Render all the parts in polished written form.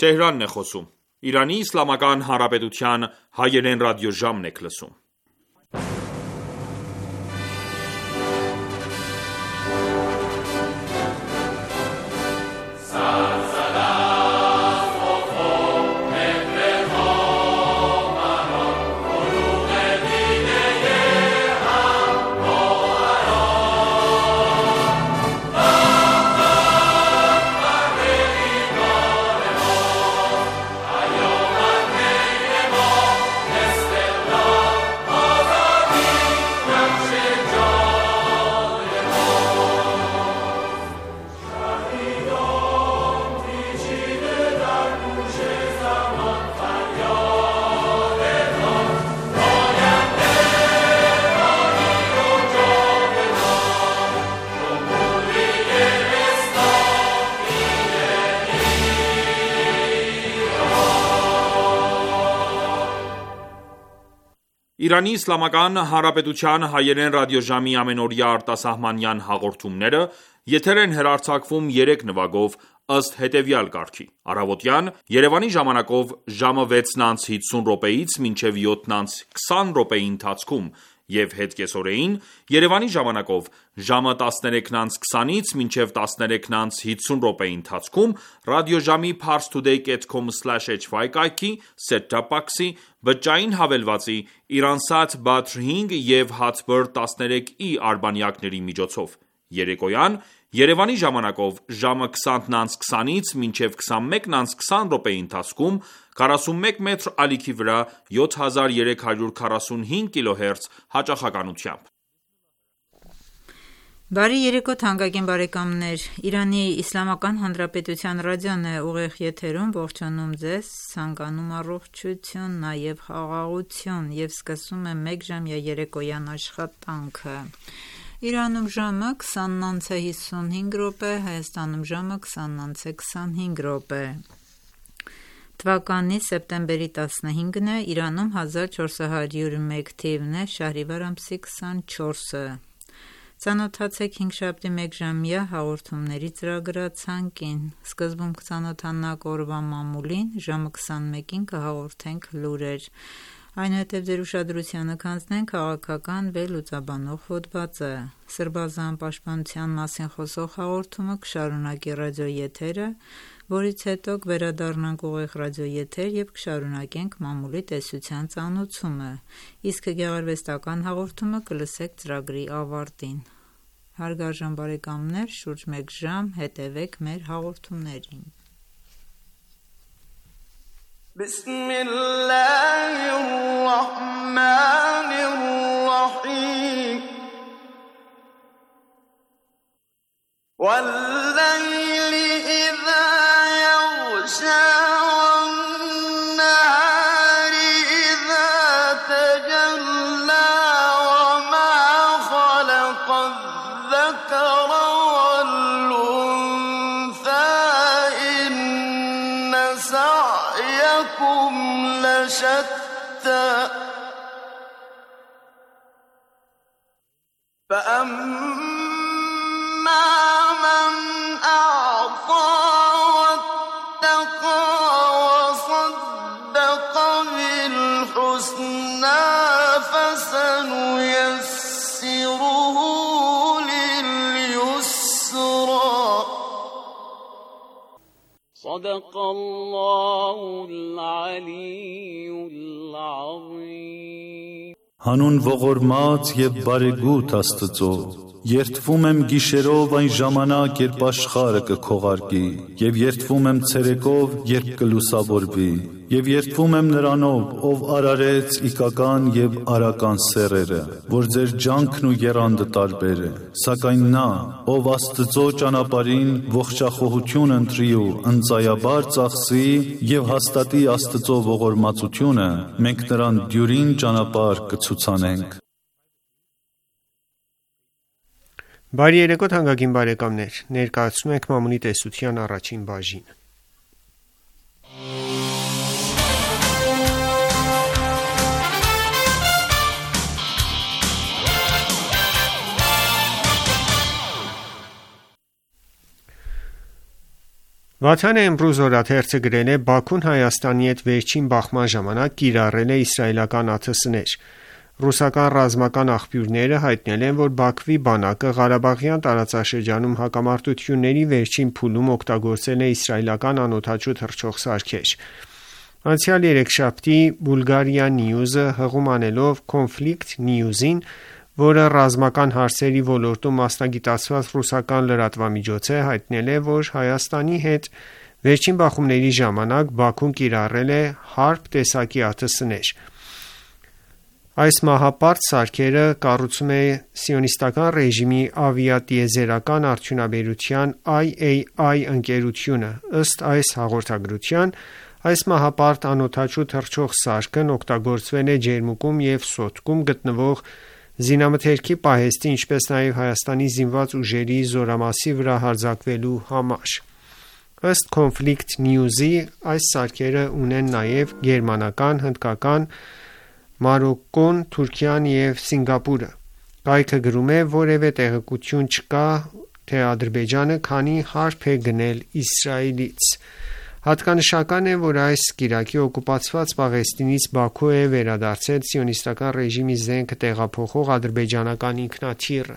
Թեհրանն է խոսում։ Իրանի Իսլամական Հանրապետության հայերեն ռադիոժամն եք լսում։ Իրանի Իսլամական Հանրապետության հայերեն ռադիոժամի ամենօրյա արտասահմանյան հաղորդումները եթեր են հեռարձակվում 3 նվագով ըստ հետևյալ կարգի. Առավոտյան Երևանի ժամանակով ժամը 6:50-ից մինչև 7:20 ընթացքում և հետկեսօրեին Երևանի ժամանակով ժամը 13:20-ից մինչև 13:50 ընթացքում ռադիոժամի parstoday.com/hy կայքի, set-top box-ի, բջջային հավելվածի, Iransat Badr 5 և Hatbird 13i արբանյակների միջոցով։ Երեկոյան Երևանի ժամանակով ժամը 20:20-ից մինչև 21:20 ընթացքում 41 մետր ալիքի վրա 7345 kHz հաճախականությամբ։ Բարի երեկո թանկագին բարեկամներ, Իրանի Իսլամական Հանրապետության ռադիոն է ուղիղ եթերում, ողջունում ձեզ, ցանկանում առողջություն, նաև խաղաղություն և սկսում է 1 ժամյա երեկոյան աշխատանքը։ Իրանում ժամը 20:55, Հայաստանում ժամը 20:25։ Թվականի սեպտեմբերի 15-ն է, Իրանում 1401 թիվն է, Շահրիվար ամսի 24-ը։ Ծանոթացեք հինգշաբթի 1 ժամյա հաղորդումների ծրագրացանկին։ Սկզբում կծանոթանանք օրվա մամուլին, ժամը 21-ին կհաղորդենք լուրեր, այնուհետև ձեր ուշադրությանը կանցնենք քաղաքական վերլուծաբանող հոդվածը։ Սրբազան պաշտպանության մասին խոսող հաղորդումը կշարունակի ռադիոեթերը, որից հետո կվերադառնանք ուղիղ ռադիոեթեր և կշարունակենք մամուլի տեսության ծանոթությունը, իսկ գեղարվեստական հաղորդումը կլսեք ծրագրի ավարտին։ Հարգարժան բարեկամներ, շուրջ 1 ժամ հետևեք մեր հաղորդումներին։ Բիսմիլլահիռռահմանիռռահիմ Վալ-լայլի իզա յղշա Վալ-նահարի իզա թջալլա Վմա խալق الذكر والأنثى إن سعيكم لشتى فأما من أعطى واتقى وصدق بالحسنى فسنيسره لليسرى صدق الله العلي العظيم Հանուն ողորմած և բարեգութ Աստծո, երդվում եմ գիշերով այն ժամանակ, երբ աշխարհը կքողարկի, և երդվում եմ ցերեկով, երբ կլուսավորվի, և երդվում եմ Նրանով, ով արարեց իգական և արական սեռերը, որ ձեր ջանքն ու եռանդը տարբեր է, սակայն նա, ով Աստծո ճանապարհին ողջախոհություն ընտրի ու ընծայաբար ծախսի և հաստատի Աստծո ողորմածությունը, մենք նրան դյուրին ճանապարհ կցուցանենք։ Բարի երեկո թանկագին բարեկամներ, ներկայացնում ենք մամուլի տեսության առաջին բաժինը։ Վաթան Էմրուզ օրաթերթը գրել է. Բաքուն Հայաստանի հետ վերջին բախման ժամանակ կիրառել է իսրայելական ԱԹՍ-ներ։ Ռուսական ռազմական աղբյուրները հայտնել են, որ Բաքվի բանակը Ղարաբաղյան տարածաշրջանում հակամարտությունների վերջին փուլում օգտագործել է իսրայելական անօդաչու թռչող սարքեր։ Անցյալ երեքշաբթի Bulgaria News-ը հղում անելով Conflict News-ին, որը ռազմական հարցերի ոլորտում մասնագիտացված ռուսական լրատվամիջոց է, հայտնել է, որ Հայաստանի հետ վերջին բախումների ժամանակ Բաքուն կիրառել է Harp տեսակի ԱԹՍ-ներ։ Այս մահապարտ սարքերը կառուցում է սիոնիստական ռեժիմի ավիատիեզերական արդյունաբերության IAI ընկերությունը։ Ըստ այս հաղորդագրության, այս մահապարտ անօդաչու թռչող սարքն օգտագործվել է ջերմուկում և սոտկում գտնվող զինամթերքի պահեստի, ինչպես նաև Հայաստանի զինված ուժերի զորամասի վրա հարձակվելու համար։ Ըստ Conflict News-ի, այս սարքերը ունեն նաև գերմանական, հնդկական, Մարոկկոն, Թուրքիան և Սինգապուրը։ Կայքը գրում է, որևէ տեղեկություն չկա, թե Ադրբեջանը քանի հարփ է գնել Իսրայելից։ Հատկանշական է, որ այս կիրակի օկուպացված Պաղեստինից Բաքու է վերադարձել սիոնիստական ռեժիմի զենքը տեղափոխող ադրբեջանական ինքնաթիռը։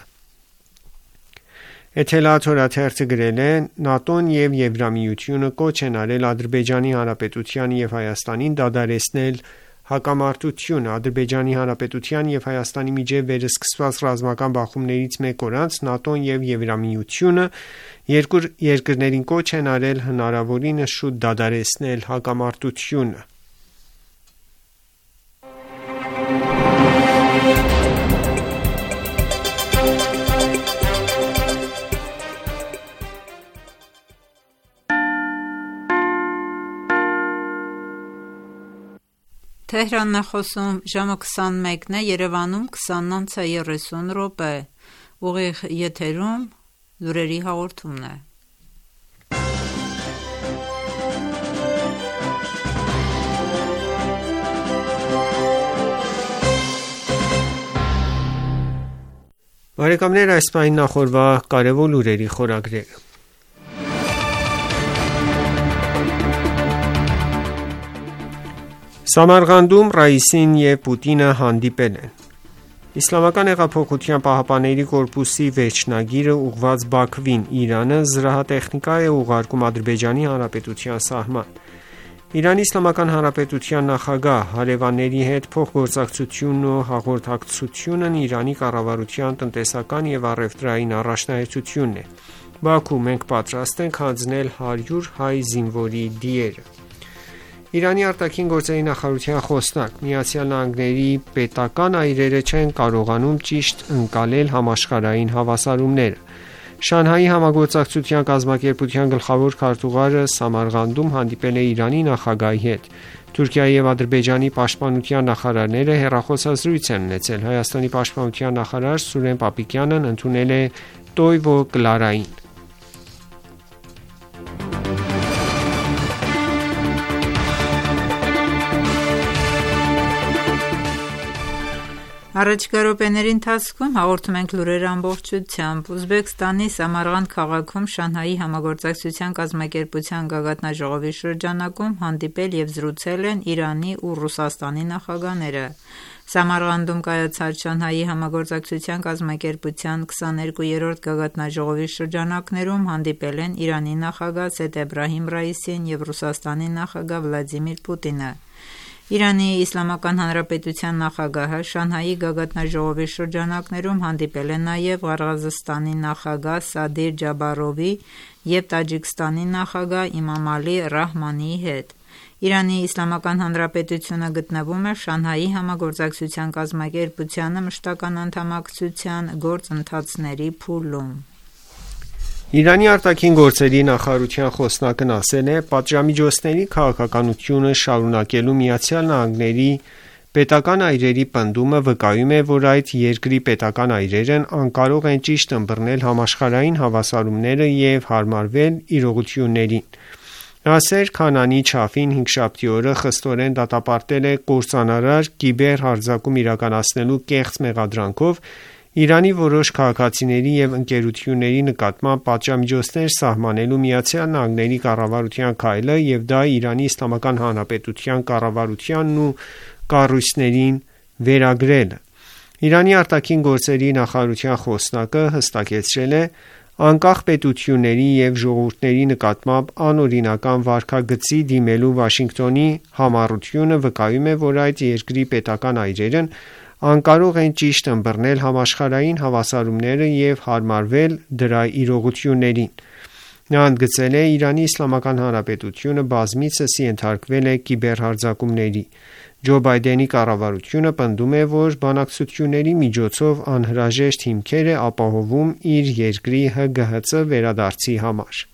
Էթելաթ օրաթերթը գրել է. ՆԱՏՕ-ն և Եվրամիությունը կոչ են արել Ադրբեջանի Հանրապետությանը և Հայաստանին դադարեցնել հակամարտությունը։ Ադրբեջանի Հանրապետության և Հայաստանի միջև վերսկսված ռազմական բախումներից մեկ օր անց ՆԱՏՕ-ն և Եվրամիությունը երկու երկրներին կոչ են արել հնարավորինս շուտ դադարեցնել հակամարտությունը։ Թեհրանն է խոսում, ժամը 21-ն է, Երևանում 20:30 ուղիղ եթերում լուրերի հաղորդումն է։ Բարեկամներ, այս պահին նախորվա կարևոր լուրերի խորագրերը։ Սամարղանդում Ռայիսին և Պուտինը հանդիպել են։ Իսլամական հեղափոխության պահապանների կորպուսի վերջնագիրը ուղղված Բաքվին, Իրանը զրահատեխնիկա է ուղարկում Ադրբեջանի Հանրապետության սահման։ Իրանի Իսլամական Հանրապետության նախագահ հարևանների հետ փոխգործակցությունն ու հաղորդակցությունն Իրանի կառավարության տնտեսական և առևտրային առաջնահերթությունն է։ Բաքու, մենք պատրաստ ենք հանձնել 100 հայ զինվորի դիերը։ Իրանի արտաքին գործերի նախարարության խոսնակ. ԱՄՆ-ի պետական այրերը չեն կարողանում ճիշտ ընկալել համաշխարհային հավասարումները։ Շանհայի համագործակցության կազմակերպության գլխավոր քարտուղարը Սամարղանդում հանդիպել է Իրանի նախագահի հետ։ Թուրքիայի և Ադրբեջանի պաշտպանության նախարարները հեռախոսազրույց են ունեցել։ Հայաստանի պաշտպանության նախարար Սուրեն Պապիկյանն ընդունել է Տոյվո Կլարային։ Առաջիկա րոպեների ընթացքում հաղորդում ենք լուրեր ամբողջությամբ։ Ուզբեկստանի Սամարղանդ քաղաքում Շանհայի համագործակցության կազմակերպության գագաթնաժողովի շրջանակում հանդիպել և զրուցել են Իրանի ու Ռուսաստանի նախագահները։ Սամարղանդում կայացած Շանհայի համագործակցության կազմակերպության 22-րդ գագաթնաժողովի շրջանակներում հանդիպել են Իրանի նախագահ Սեյեդ Էբրահիմ Ռայիսին և Ռուսաստանի նախագահ Վլադիմիր Պուտինը։ Իրանի Իսլամական Հանրապետության նախագահը Շանհայի գագաթնաժողովի շրջանակներում հանդիպել է նաև Ղրղզստանի նախագահ Սադիր Ջաբարովի և Տաջիկստանի նախագահ Իմամալի Ռահմանիի հետ։ Իրանի Իսլամական Հանրապետությունը գտնվում է Շանհայի համագործակցության կազմակերպությանը մշտական անդամակցության գործընթացների փուլում։ Իրանի արտաքին գործերի նախարարության խոսնակն ասել է. պատժամիջոցների քաղաքականությունը շարունակելու ԱՄՆ-ի պետական այրերի պնդումը վկայում է, որ այդ երկրի պետական այրերն անկարող են ճիշտ ըմբռնել համաշխարհային հավասարումները և հարմարվել իրողություններին։ Նասեր Քանանի Չաֆին հինգշաբթի օրը խստորեն դատապարտել է կործանարար կիբեր հարձակում իրականացնելու կեղծ մեղադրանքով Իրանի որոշ քաղաքացիների և ընկերությունների նկատմամբ պատժամիջոցներ սահմանելու ԱՄՆ կառավարության քայլը և դա Իրանի Իսլամական Հանրապետության կառավարությանն ու կառույցներին վերագրելը։ Իրանի արտաքին գործերի նախարարության խոսնակը հստակեցրել է. «Անկախ պետությունների և ժողովուրդների նկատմամբ անօրինական վարքագծի դիմելու Վաշինգտոնի համառությունը վկայում է, որ այդ երկրի պետական այրերն անկարող են ճիշտ ըմբռնել համաշխարհային հավասարումները և հարմարվել դրա իրողություններին»։ Նա ընդգծել է. «Իրանի Իսլամական Հանրապետությունը բազմիցս ենթարկվել է կիբերհարձակումների։ Ջո Բայդենի կառավարությունը պնդում է, որ բանակցությունների միջոցով անհրաժեշտ հիմքեր է ապահովում իր երկրի ՀԳՀԾ վերադարձի համար»։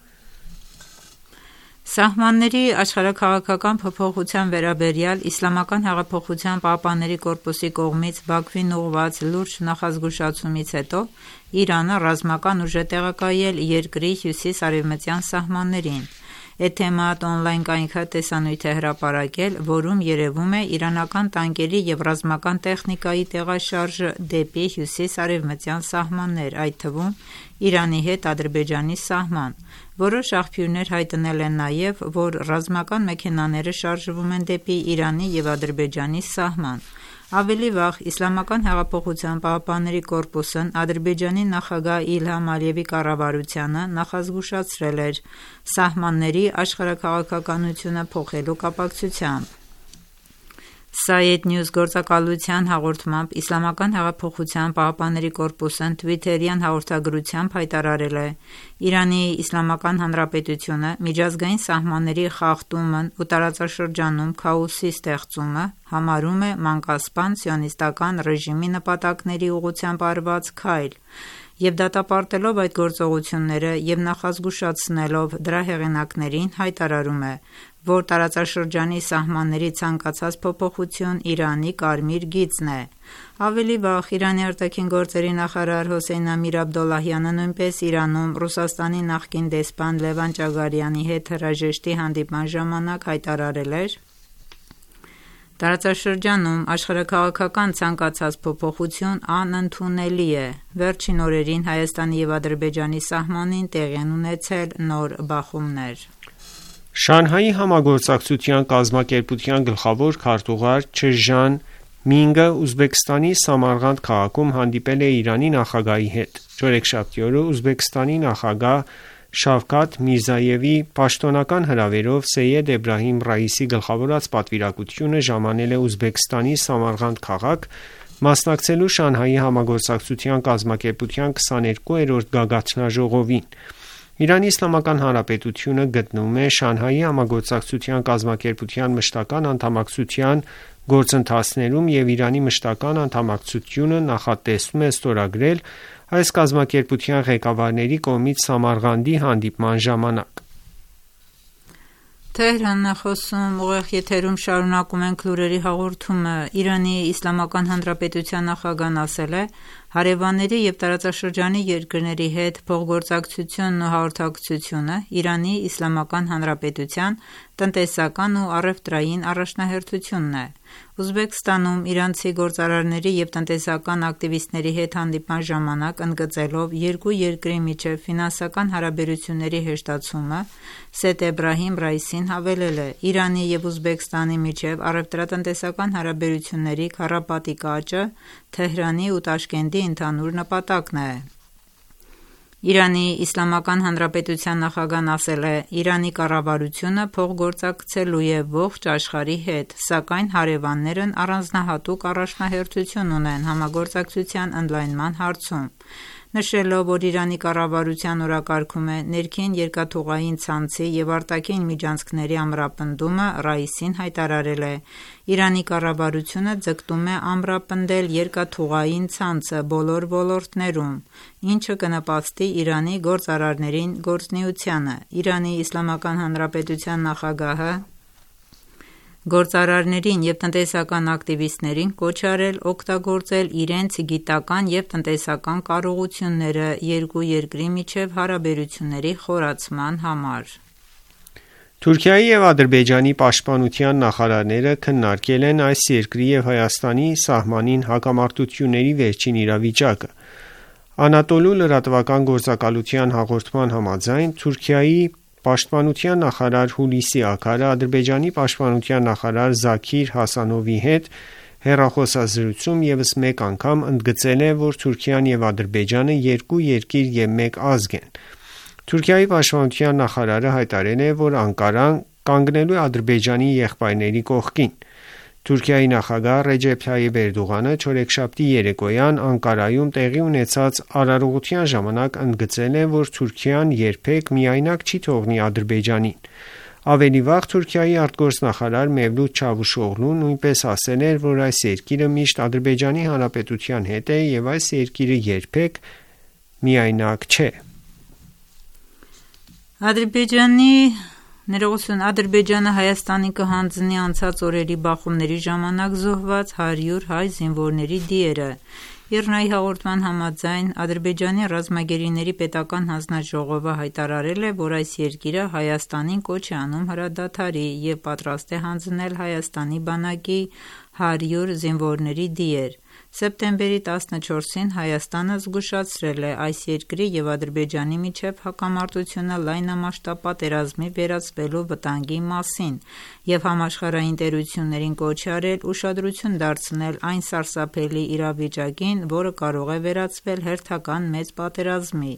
Սահմանների աշխարհաքաղաքական փոփոխության վերաբերյալ Իսլամական հեղափոխության պահապանների կորպուսի կողմից Բաքվին ուղղված լուրջ նախազգուշացումից հետո Իրանը ռազմական ուժ է տեղակայել երկրի հյուսիս-արևմտյան սահմաններին։ Էթեմադ օնլայն կայքը տեսանյութ է հրապարակել, որում երևում է իրանական տանկերի և ռազմական տեխնիկայի տեղաշարժը դեպի հյուսիս-արևմտյան սահմաններ, այդ թվում Իրանի հետ Ադրբեջանի սահման։ Որոշ աղբյուրներ հայտնել են նաև, որ ռազմական մեքենաները շարժվում են դեպի Իրանի և Ադրբեջանի սահման։ Ավելի վաղ Իսլամական հեղափոխության պահապանների կորպուսն Ադրբեջանի նախագահ Իլհամ Ալիևի կառավարությանը նախազգուշացրել էր սահմանների աշխարհաքաղաքականությունը փոխելու կապակցությամբ։ Side News գործակալության հաղորդմամբ Իսլամական հեղափոխության պահապանների կորպուսն Twitter-յան հաղորդագրությամբ հայտարարել է. «Իրանի Իսլամական Հանրապետությունը միջազգային սահմանների խախտումն ու տարածաշրջանում քաոսի ստեղծումը համարում է մանկասպան սիոնիստական ռեժիմի նպատակների ուղղությամբ արված քայլ և դատապարտելով այդ գործողությունները և նախազգուշացնելով դրա հեղինակներին հայտարարում է, որ տարածաշրջանի սահմանների ցանկացած փոփոխություն Իրանի կարմիր գիծն է»։ Ավելի վաղ Իրանի արտաքին գործերի նախարար Հոսեյն Ամիր Աբդոլլահյանը նույնպես Իրանում Ռուսաստանի նախկին դեսպան Լևան Ճագարյանի հետ հրաժեշտի հանդիպման ժամանակ հայտարարել էր. «Տարածաշրջանում աշխարհաքաղաքական ցանկացած փոփոխություն անընդունելի է»։ Վերջին օրերին Հայաստանի և Ադրբեջանի սահմանին տեղի են ունեցել նոր բախումներ։ Շանհայի համագործակցության կազմակերպության գլխավոր քարտուղար Չժան Մինգը Ուզբեկստանի Սամարղանդ քաղաքում հանդիպել է Իրանի նախագահի հետ։ Չորեքշաբթի օրը Ուզբեկստանի նախագահ Շավքաթ Միրզոևի պաշտոնական հրավերով Սեյեդ Էբրահիմ Ռայիսի գլխավորած պատվիրակությունը ժամանել է Ուզբեկստանի Սամարղանդ քաղաք՝ մասնակցելու Շանհայի համագործակցության կազմակերպության 22-րդ գագաթնաժողովին։ Իրանի Իսլամական Հանրապետությունը գտնվում է Շանհայի համագործակցության կազմակերպության մշտական անդամակցության գործընթացներում և Իրանի մշտական անդամակցությունը նախատեսվում է ստորագրել այս կազմակերպության ղեկավարների կողմից Սամարղանդի հանդիպման ժամանակ։ Շարունակում ենք լուրերի հաղորդումը։ Իրանի Իսլամական Հանրապետության նախագահն ասել է. «Հարևանների և տարածաշրջանի երկրների հետ փոխգործակցությունն ու հաղորդակցությունը Իրանի Իսլամական Հանրապետության տնտեսական ու առևտրային առաջնահերթությունն է»։ Ուզբեկստանում իրանցի գործարարների և տնտեսական ակտիվիստների հետ հանդիպման ժամանակ ընդգծելով երկու երկրի միջև ֆինանսական հարաբերությունների հեշտացումը, Սեյեդ Էբրահիմ Ռայիսին հավելել է. «Իրանի և Ուզբեկստանի միջև առևտրատնտեսական հարաբերությունների քառապատիկ աճը Թեհրանի ու Տաշկենտի ընդհանուր նպատակն է»։ Իրանի Իսլամական Հանրապետության նախագահն ասել է. «Իրանի կառավարությունը փոխգործակցելու է ողջ աշխարհի հետ, սակայն հարևաններն առանձնահատուկ առաջնահերթություն ունեն համագործակցության ընդլայնման հարցում»։ Նշելով, որ Իրանի կառավարության օրակարգում է ներքին երկաթուղային ցանցի և արտաքին միջանցքների ամրապնդումը, Ռայիսին հայտարարել է. «Իրանի կառավարությունը ձգտում է ամրապնդել երկաթուղային ցանցը բոլոր ոլորտներում, ինչը կնպաստի Իրանի գործարարներին գործունեությանը»։ Իրանի Իսլամական Հանրապետության նախագահը գործարարներին և տնտեսական ակտիվիստներին կոչ է արել օգտագործել իրենց գիտական և տնտեսական կարողությունները երկու երկրի միջև հարաբերությունների խորացման համար։ Թուրքիայի և Ադրբեջանի պաշտպանության նախարարները քննարկել են այս երկրի և Հայաստանի սահմանին հակամարտությունների վերջին իրավիճակը։ Անատոլու լրատվական գործակալության հաղորդման համաձայն Թուրքիայի պաշտպանության նախարար Հուլիսի Աքարը Ադրբեջանի պաշտպանության նախարար Զաքիր Հասանովի հետ հեռախոսազրույցում ևս մեկ անգամ ընդգծել է, որ Թուրքիան և Ադրբեջանը երկու երկիր և մեկ ազգ են։ Թուրքիայի պաշտպանության նախարարը հայտարարել է, որ Անկարան կանգնելու է Ադրբեջանի եղբայրների կողքին։ Թուրքիայի նախագահ Ռեջեփ Թայիփ Էրդողանը չորեքշաբթի երեկոյան Անկարայում տեղի ունեցած արարողության ժամանակ ընդգծել է, որ Թուրքիան երբեք միայնակ չի թողնի Ադրբեջանին։ Ավելի վաղ Թուրքիայի արտգործնախարար Մևլութ Չավուշօղլուն նույնպես ասել էր, որ այս երկիրը միշտ Ադրբեջանի Հանրապետության հետ է և այս երկիրը երբեք միայնակ չէ։ Ադրբեջանը Հայաստանի կհանձնի անցած օրերի բախումների ժամանակ զոհված 100 հայ զինվորների դիերը։ ԻՌՆԱ-ի հաղորդման համաձայն Ադրբեջանի ռազմագերիների պետական հանձնաժողովը հայտարարել է, որ այս երկիրը Հայաստանին կոչ է անում հրադադարի և պատրաստ է հանձնել Հայաստանի բանակի 100 զինվորների դիեր։ Սեպտեմբերի 14-ին Հայաստանը զգուշացրել է այս երկրի և Ադրբեջանի միջև հակամարտությունը լայնամասշտաբ պատերազմի վերածվելու վտանգի մասին և համաշխարհային տերություններին կոչ է արել ուշադրություն դարձնել այն սարսափելի իրավիճակին, որը կարող է վերածվել հերթական մեծ պատերազմի։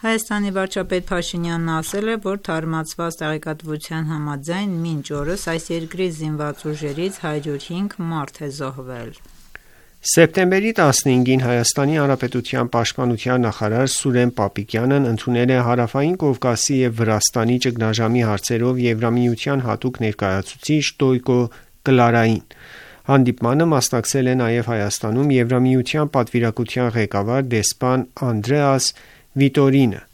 Հայաստանի վարչապետ Փաշինյանն ասել է, որ թարմացված տեղեկատվության համաձայն մինչ օրս այս երկրի զինված ուժերից 105 մարդ է զոհվել։ Սեպտեմբերի 15-ին Հայաստանի Հանրապետության պաշտպանության նախարար Սուրեն Պապիկյանն ընդունել է Հարավային Կովկասի և Վրաստանի ճգնաժամի հարցերով Եվրամիության հատուկ ներկայացուցիչ Տոյկո Կլարային։ Հանդիպմանը մասնակցել է նաև Հայաստանում Եվրամիության պատվիրակության ղեկավար դեսպան Անդրեաս Վիտորինը։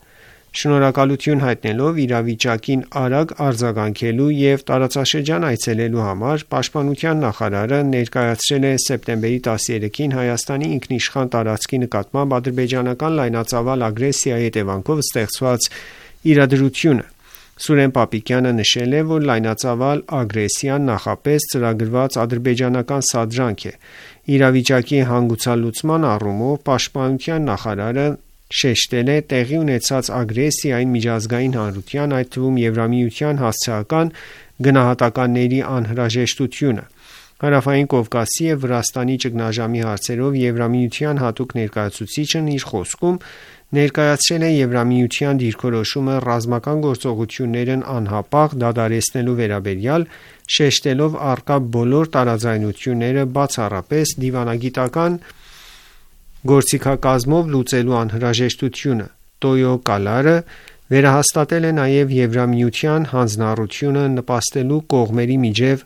Շնորհակալություն հայտնելով իրավիճակին արագ արձագանքելու և տարածաշրջան այցելելու համար պաշտպանության նախարարը ներկայացրել է սեպտեմբերի 13-ին Հայաստանի ինքնիշխան տարածքի նկատմամբ ադրբեջանական լայնածավալ ագրեսիայի հետևանքով ստեղծված իրադրությունը։ Սուրեն Պապիկյանը նշել է, որ լայնածավալ ագրեսիան նախապես ծրագրված ադրբեջանական սադրանք է։ Իրավիճակի հանգուցալուծման առումով պաշտպանության նախարարը շեշտել է տեղի ունեցած ագրեսիային միջազգային հանրության, այդ թվում Եվրամիության հասցեական գնահատականների անհրաժեշտությունը։ Հարավային Կովկասի և Վրաստանի ճգնաժամի հարցերով Եվրամիության հատուկ ներկայացուցիչն իր խոսքում ներկայացրել է Եվրամիության դիրքորոշումը ռազմական գործողություններն անհապաղ դադարեցնելու վերաբերյալ, շեշտելով առկա բոլոր տարաձայնությունները բացառապես դիվանագիտական գործիքակազմով լուծելու անհրաժեշտությունը։ Տոյո Կալարը վերահաստատել է նաև Եվրամիության հանձնառությունը նպաստելու կողմերի միջև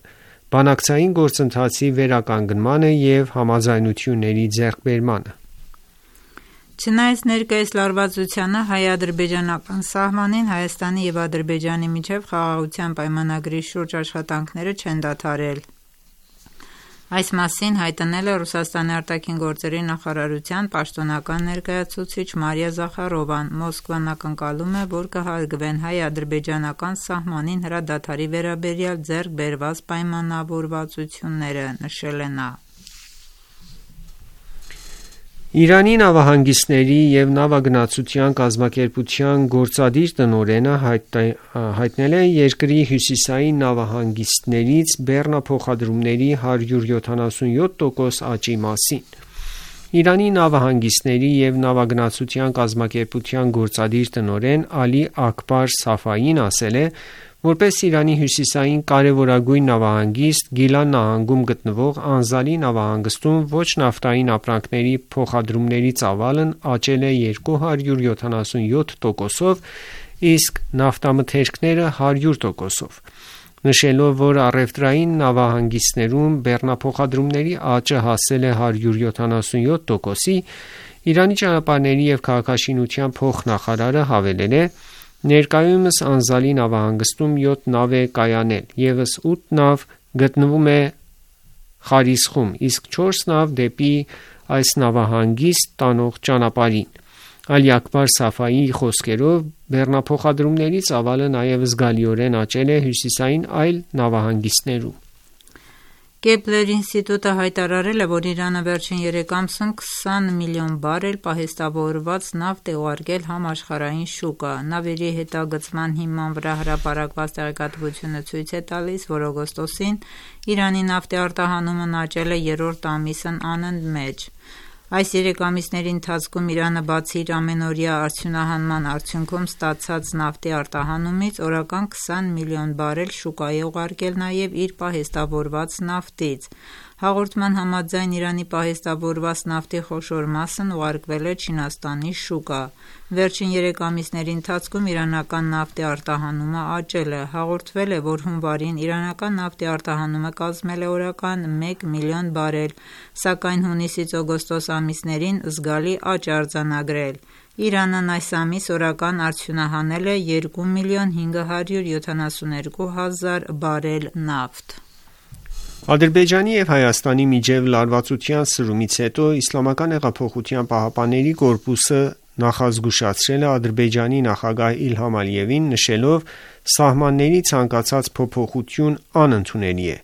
բանակցային գործընթացի վերականգնմանը և համաձայնությունների ձեռքբերմանը։ Չնայած ներկայիս լարվածությանը հայ-ադրբեջանական սահմանին Հայաստանի և Ադրբեջանի միջև խաղաղության պայմանագրի շուրջ աշխատանքները չեն դադարել։ Այս մասին հայտնել է Ռուսաստանի արտաքին գործերի նախարարության պաշտոնական ներկայացուցիչ Մարիա Զախարովան։ Մոսկվան ակնկալում է, որ կհարգվեն հայ-ադրբեջանական սահմանին հրադադարի վերաբերյալ ձեռք բերված պայմանավորվածությունները, նշել է նա։ Իրանի նավահանգիստների և նավագնացության կազմակերպության գործադիր տնօրենը հայտնել է երկրի հյուսիսային նավահանգիստներից բեռնափոխադրումների 177% աճի մասին։ Իրանի նավահանգիստների և նավագնացության կազմակերպության գործադիր տնօրեն Ալի Աքբար Սաֆային ասել է, որպես Իրանի հյուսիսային կարևորագույն նավահանգիստ Գիլան նահանգում գտնվող Անզալի նավահանգստում ոչ նավթային ապրանքների փոխադրումների ծավալն աճել է 277%, իսկ նավթամթերքները 100%, նշելով, որ առևտրային նավահանգիստներում բեռնափոխադրումների աճը հասել է 177%-ի, Իրանի ճանապարհների և քաղաքաշինության փոխնախարարը հավելել է. Ներկայումս Անզալի նավահանգստում 7 նավ է կայանել, ևս 8 նավ գտնվում է Խարիսխում, իսկ 4 նավ դեպի այս նավահանգիստ տանող ճանապարհին։ Ալի Աքբար Սաֆայիի խոսքերով բեռնափոխադրումների ծավալը նաև զգալիորեն աճել է հյուսիսային այլ նավահանգիստներում։ Կեպլեր ինստիտուտը հայտարարել է, որ Իրանը վերջին 3 ամսում 20 միլիոն բարել պահեստավորված նավթ է ուղարկել համաշխարհային շուկա։ Նավերի հետագծման հիման վրա հրապարակված տեղեկատվությունը ցույց է տալիս, որ օգոստոսին Իրանի նավթի արտահանումն աճել է 3-րդ ամիսն անընդմեջ։ Այս 3 ամիսների ընթացքում Իրանը բացի իր ամենօրյա արդյունահանման արդյունքում ստացած նավթի արտահանումից օրական 20 միլիոն բարել շուկա է ուղարկել նաև իր պահեստավորված նավթից։ Հաղորդման համաձայն Իրանի պահեստավորված նավթի խոշոր մասն ուղարկվել է Չինաստանի շուկա։ Վերջին 3 ամիսների ընթացքում իրանական նավթի արտահանումը աճել է։ Հաղորդվել է, որ հունվարին իրանական նավթի արտահանումը կազմել է օրական 1 միլիոն բարել, սակայն հունիսից օգոստոս ամիսներին զգալի աճ է արձանագրել։ Իրանն այս ամիս օրական արդյունահանել է 2 միլիոն 572 հազար բարել նավթ։ Ադրբեջանի և Հայաստանի միջև լարվածության սրումից հետո Իսլամական հեղափոխության պահապանների կորպուսը նախազգուշացրել է Ադրբեջանի նախագահ Իլհամ Ալիևին, նշելով սահմանների ցանկացած փոփոխություն անընդունելի է։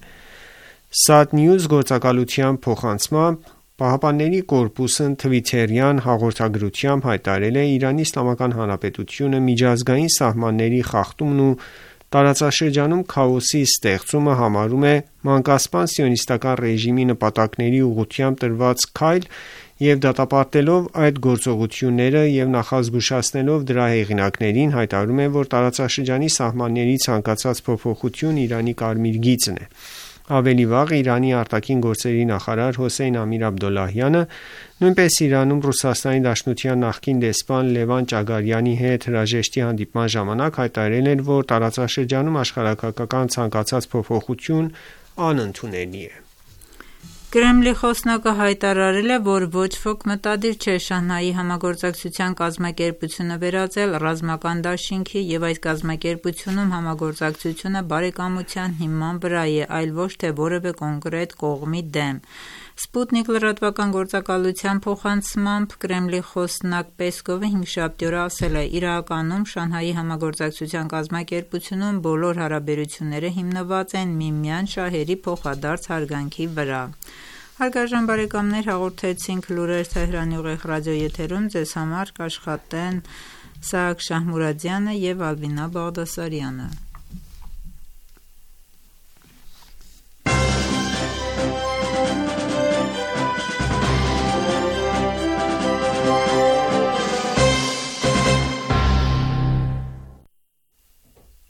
Sat-News գործակալության փոխանցմամբ Պահապանների կորպուսն թվիթերյան հաղորդագրությամբ հայտարարել է Իրանի Իսլամական Հանրապետությունը միջազգային սահմանների խախտումն ու տարածաշրջանում քաոսի ստեղծումը համարում է մանկասպան սիոնիստական ռեժիմի նպատակների ուղղությամբ տրված քայլ և դատապարտելով այդ գործողությունները և նախազգուշացնելով դրա հեղինակներին հայտարարում է, որ տարածաշրջանի սահմանների ցանկացած փոփոխություն Իրանի կարմիր գիծն է։ Ավելի վաղ Իրանի արտաքին գործերի նախարար Հոսեյն Ամիր Աբդոլլահյանը նույնպես Իրանում Ռուսաստանի Դաշնության նախկին դեսպան Լևան Ճագարյանի հետ հրաժեշտի հանդիպման ժամանակ հայտարարել էր, որ տարածաշրջանում աշխարհաքաղաքական ցանկացած փոփոխություն անընդունելի է։ Կրեմլի խոսնակը հայտարարել է, որ ոչ ոք մտադիր չէ Շանհայի համագործակցության կազմակերպությունը վերածել ռազմական դաշինքի և այս կազմակերպությունում համագործակցությունը բարեկամության հիման վրա է, այլ ոչ թե որևէ կոնկրետ կողմի դեմ։ Սպուտնիկ լրատվական գործակալության փոխանցմամբ Կրեմլի խոսնակ Պեսկովը հինգշաբթի օրը ասել է. «Իրականում Շանհայի համագործակցության կազմակերպությունում բոլոր հարաբերությունները հիմնված են միմյանց շահերի փոխադարձ հարգանքի վրա»։ Հարգարժան բարեկամներ, հաղորդեցինք լուրեր Թեհրանի ուղիղ ռադիոեթերում, ձեզ համար կաշխատեն Սաակ Շահմուրադյանը և Ալվինա Բաղդասարյանը։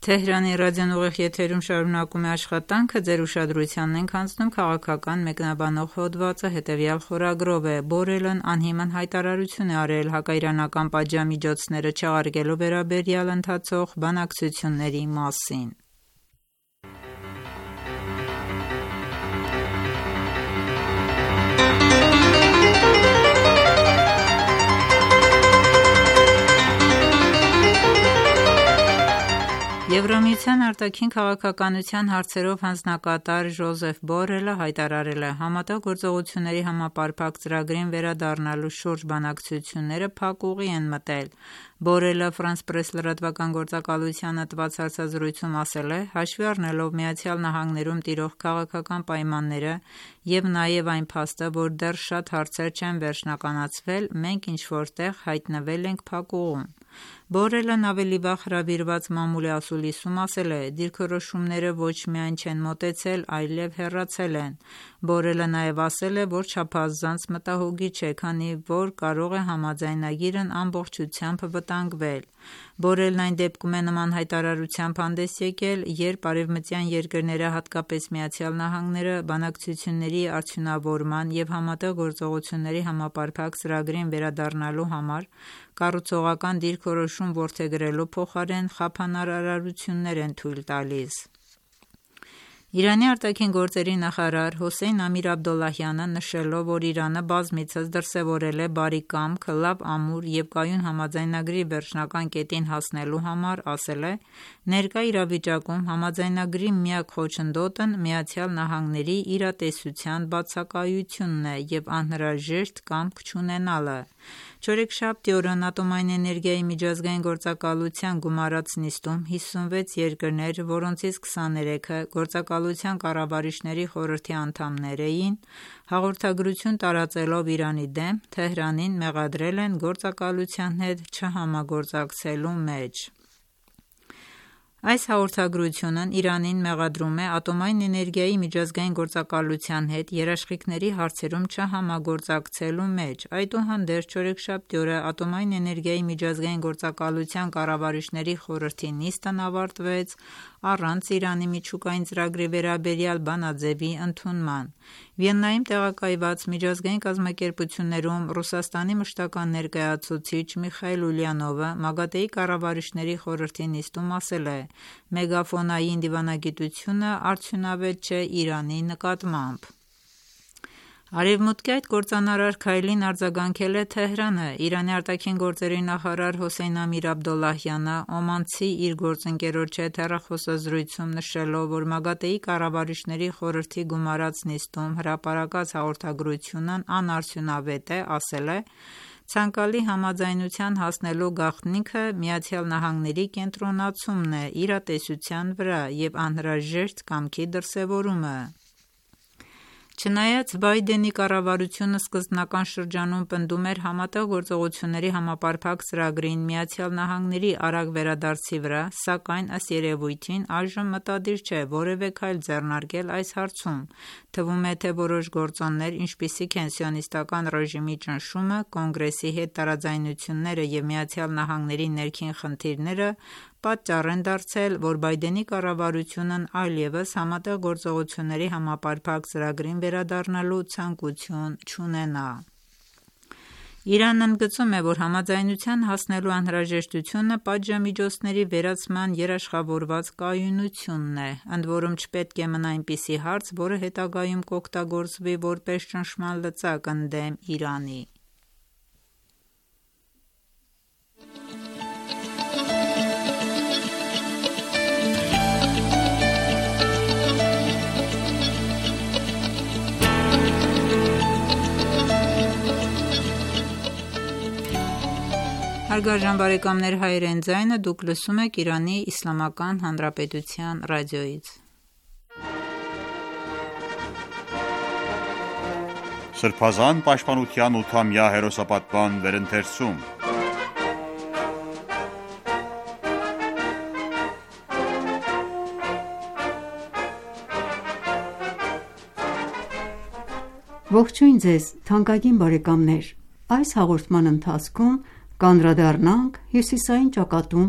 Թեհրանի ռադիոն ուղիղ եթերում շարունակում է աշխատանքը, ձեր ուշադրությանն ենք հանձնում քաղաքական մեկնաբանող հոդվածը, հետևյալ խորագրով է. Բորելն անհիմն հայտարարություն է արել հակաիրանական պատժամիջոցները չեղարկելու վերաբերյալ ընթացող բանակցությունների մասին։ Եվրամիության արտաքին քաղաքականության հարցերով հանձնակատար Ժոզեֆ Բորելը հայտարարել է. «Համատեղ գործողությունների համապարփակ ծրագրին վերադառնալու շուրջ բանակցությունները փակ ուղի են մտել»։ Բորելը France Press լրատվական գործակալությանը տված հարցազրույցում ասել է. «Հաշվի առնելով ԱՄՆ-ում տիրող քաղաքական պայմանները և նաև այն փաստը, որ դեռ շատ հարցեր չեն վերջնականացվել, մենք ինչ-որ տեղ հայտնվել ենք փակ ուղում»։ Բորելն ավելի վաղ հրավիրված մամուլի ասուլիսում ասել է. «Դիրքորոշումները ոչ միայն չեն մոտեցել, այլև հեռացել են»։ Բորելը նաև ասել է, որ չափազանց մտահոգի չէ, քանի որ կարող է համաձայնագիրն ամբողջությամբ վտանգվել։ Բորելն այն դեպքում է նման հայտարարությամբ հանդես եկել, երբ արևմտյան երկրները, հատկապես ԱՄՆ-ը, բանակցությունների արդյունավորման և համատեղ գործողությունների համապարփակ ծրագրին վերադառնալու համար կառուցողական դիրքորոշում որդեգրելու փոխարեն խափանար արարություններ են թույլ տալիս։ Իրանի արտաքին գործերի նախարար Հոսեյն Ամիր Աբդոլլահյանը, նշելով, որ Իրանը բազմիցս դրսևորել է բարի կամք լավ ամուր և կայուն համաձայնագրի վերջնական կետին հասնելու համար, ասել է. «Ներկա իրավիճակում համաձայնագրի միակ խոչընդոտն ԱՄՆ-ի իրատեսության բացակայությունն է և անհրաժեշտ կամք չունենալը»։ Չորեքշաբթի օրն Ատոմային էներգիայի միջազգային գործակալության գումարած նիստում 56 երկրներ, որոնցից 23-ը գործակալության կառավարիչների խորհրդի անդամներ էին, հաղորդագրություն տարածելով Իրանի դեմ, Թեհրանին մեղադրել են գործակալության հետ չհամագործակցելու մեջ։ Այս հաղորդագրությունն Իրանին մեղադրում է Ատոմային էներգիայի միջազգային գործակալության հետ երաշխիքների հարցերում չհամագործակցելու մեջ։ Այդուհանդերձ չորեքշաբթի օրը Ատոմային էներգիայի միջազգային գործակալության կառավարիչների խորհրդի նիստն ավարտվեց առանց Իրանի միջուկային ծրագրի վերաբերյալ բանաձևի ընդունման։ Վիեննայում տեղակայված միջազգային կազմակերպություններում Ռուսաստանի մշտական ներկայացուցիչ Միխայիլ Ուլյանովը ՄԱԳԱՏԷ-ի կառավարիչների խորհրդի նիստում ասել է. «Մեգաֆոնային դիվանագիտությունը արդյունավետ չէ Իրանի նկատմամբ»։ Արևմուտքի այդ կործանարար քայլին արձագանքել է Թեհրանը։ Իրանի արտաքին գործերի նախարար Հոսեյն Ամիր Աբդոլլահյանը օմանցի իր գործընկերոջ հետ հեռախոսազրույցում նշելով, որ ՄԱԳԱՏԷ-ի կառավարիչների խորհրդի գումարած նիստում հրապարակած հաղորդագրությունն անարդյունավետ է, ասել է. «Ցանկալի համաձայնության հասնելու գաղտնիքը ԱՄՆ-ի կենտրոնացումն է իրատեսության վրա և անհրաժեշտ կամքի դրսևորումը»։ Չնայած Բայդենի կառավարությունը սկզբնական շրջանում պնդում էր Համատեղ գործողությունների համապարփակ ծրագրին ԱՄՆ-ի արագ վերադարձի վրա, սակայն ըստ երևույթին այժմ մտադիր չէ որևէ քայլ ձեռնարկել այս հարցում։ Թվում է, թե որոշ գործոններ, ինչպիսիք են սիոնիստական ռեժիմի ճնշումը, Կոնգրեսի հետ տարաձայնությունները և ԱՄՆ-ի ներքին խնդիրները պատճառ են դարձել, որ Բայդենի կառավարությունն այլևս Համատեղ գործողությունների համապարփակ ծրագրին վերադառնալու ցանկություն չունենա։ Իրանն ընդգծում է, որ համաձայնության հասնելու անհրաժեշտությունը պատժամիջոցների վերացման երաշխավորված կայունությունն է, ընդ որում չպետք է մնա այնպիսի հարց, որը հետագայում կօգտագործվի որպես ճնշման լծակ ընդդեմ Իրանի։ Հարգարժան բարեկամներ, հայրեն ձայնը դուք լսում եք Իրանի Իսլամական Հանրապետության ռադիոյից։ Սրբազան պաշտպանության 8-ամյա հերոսապատման վերընթերցում։ Ողջույն ձեզ, թանկագին բարեկամներ։ Այս հաղորդման ընթացքում կանդրադառնանք հյուսիսային ճակատում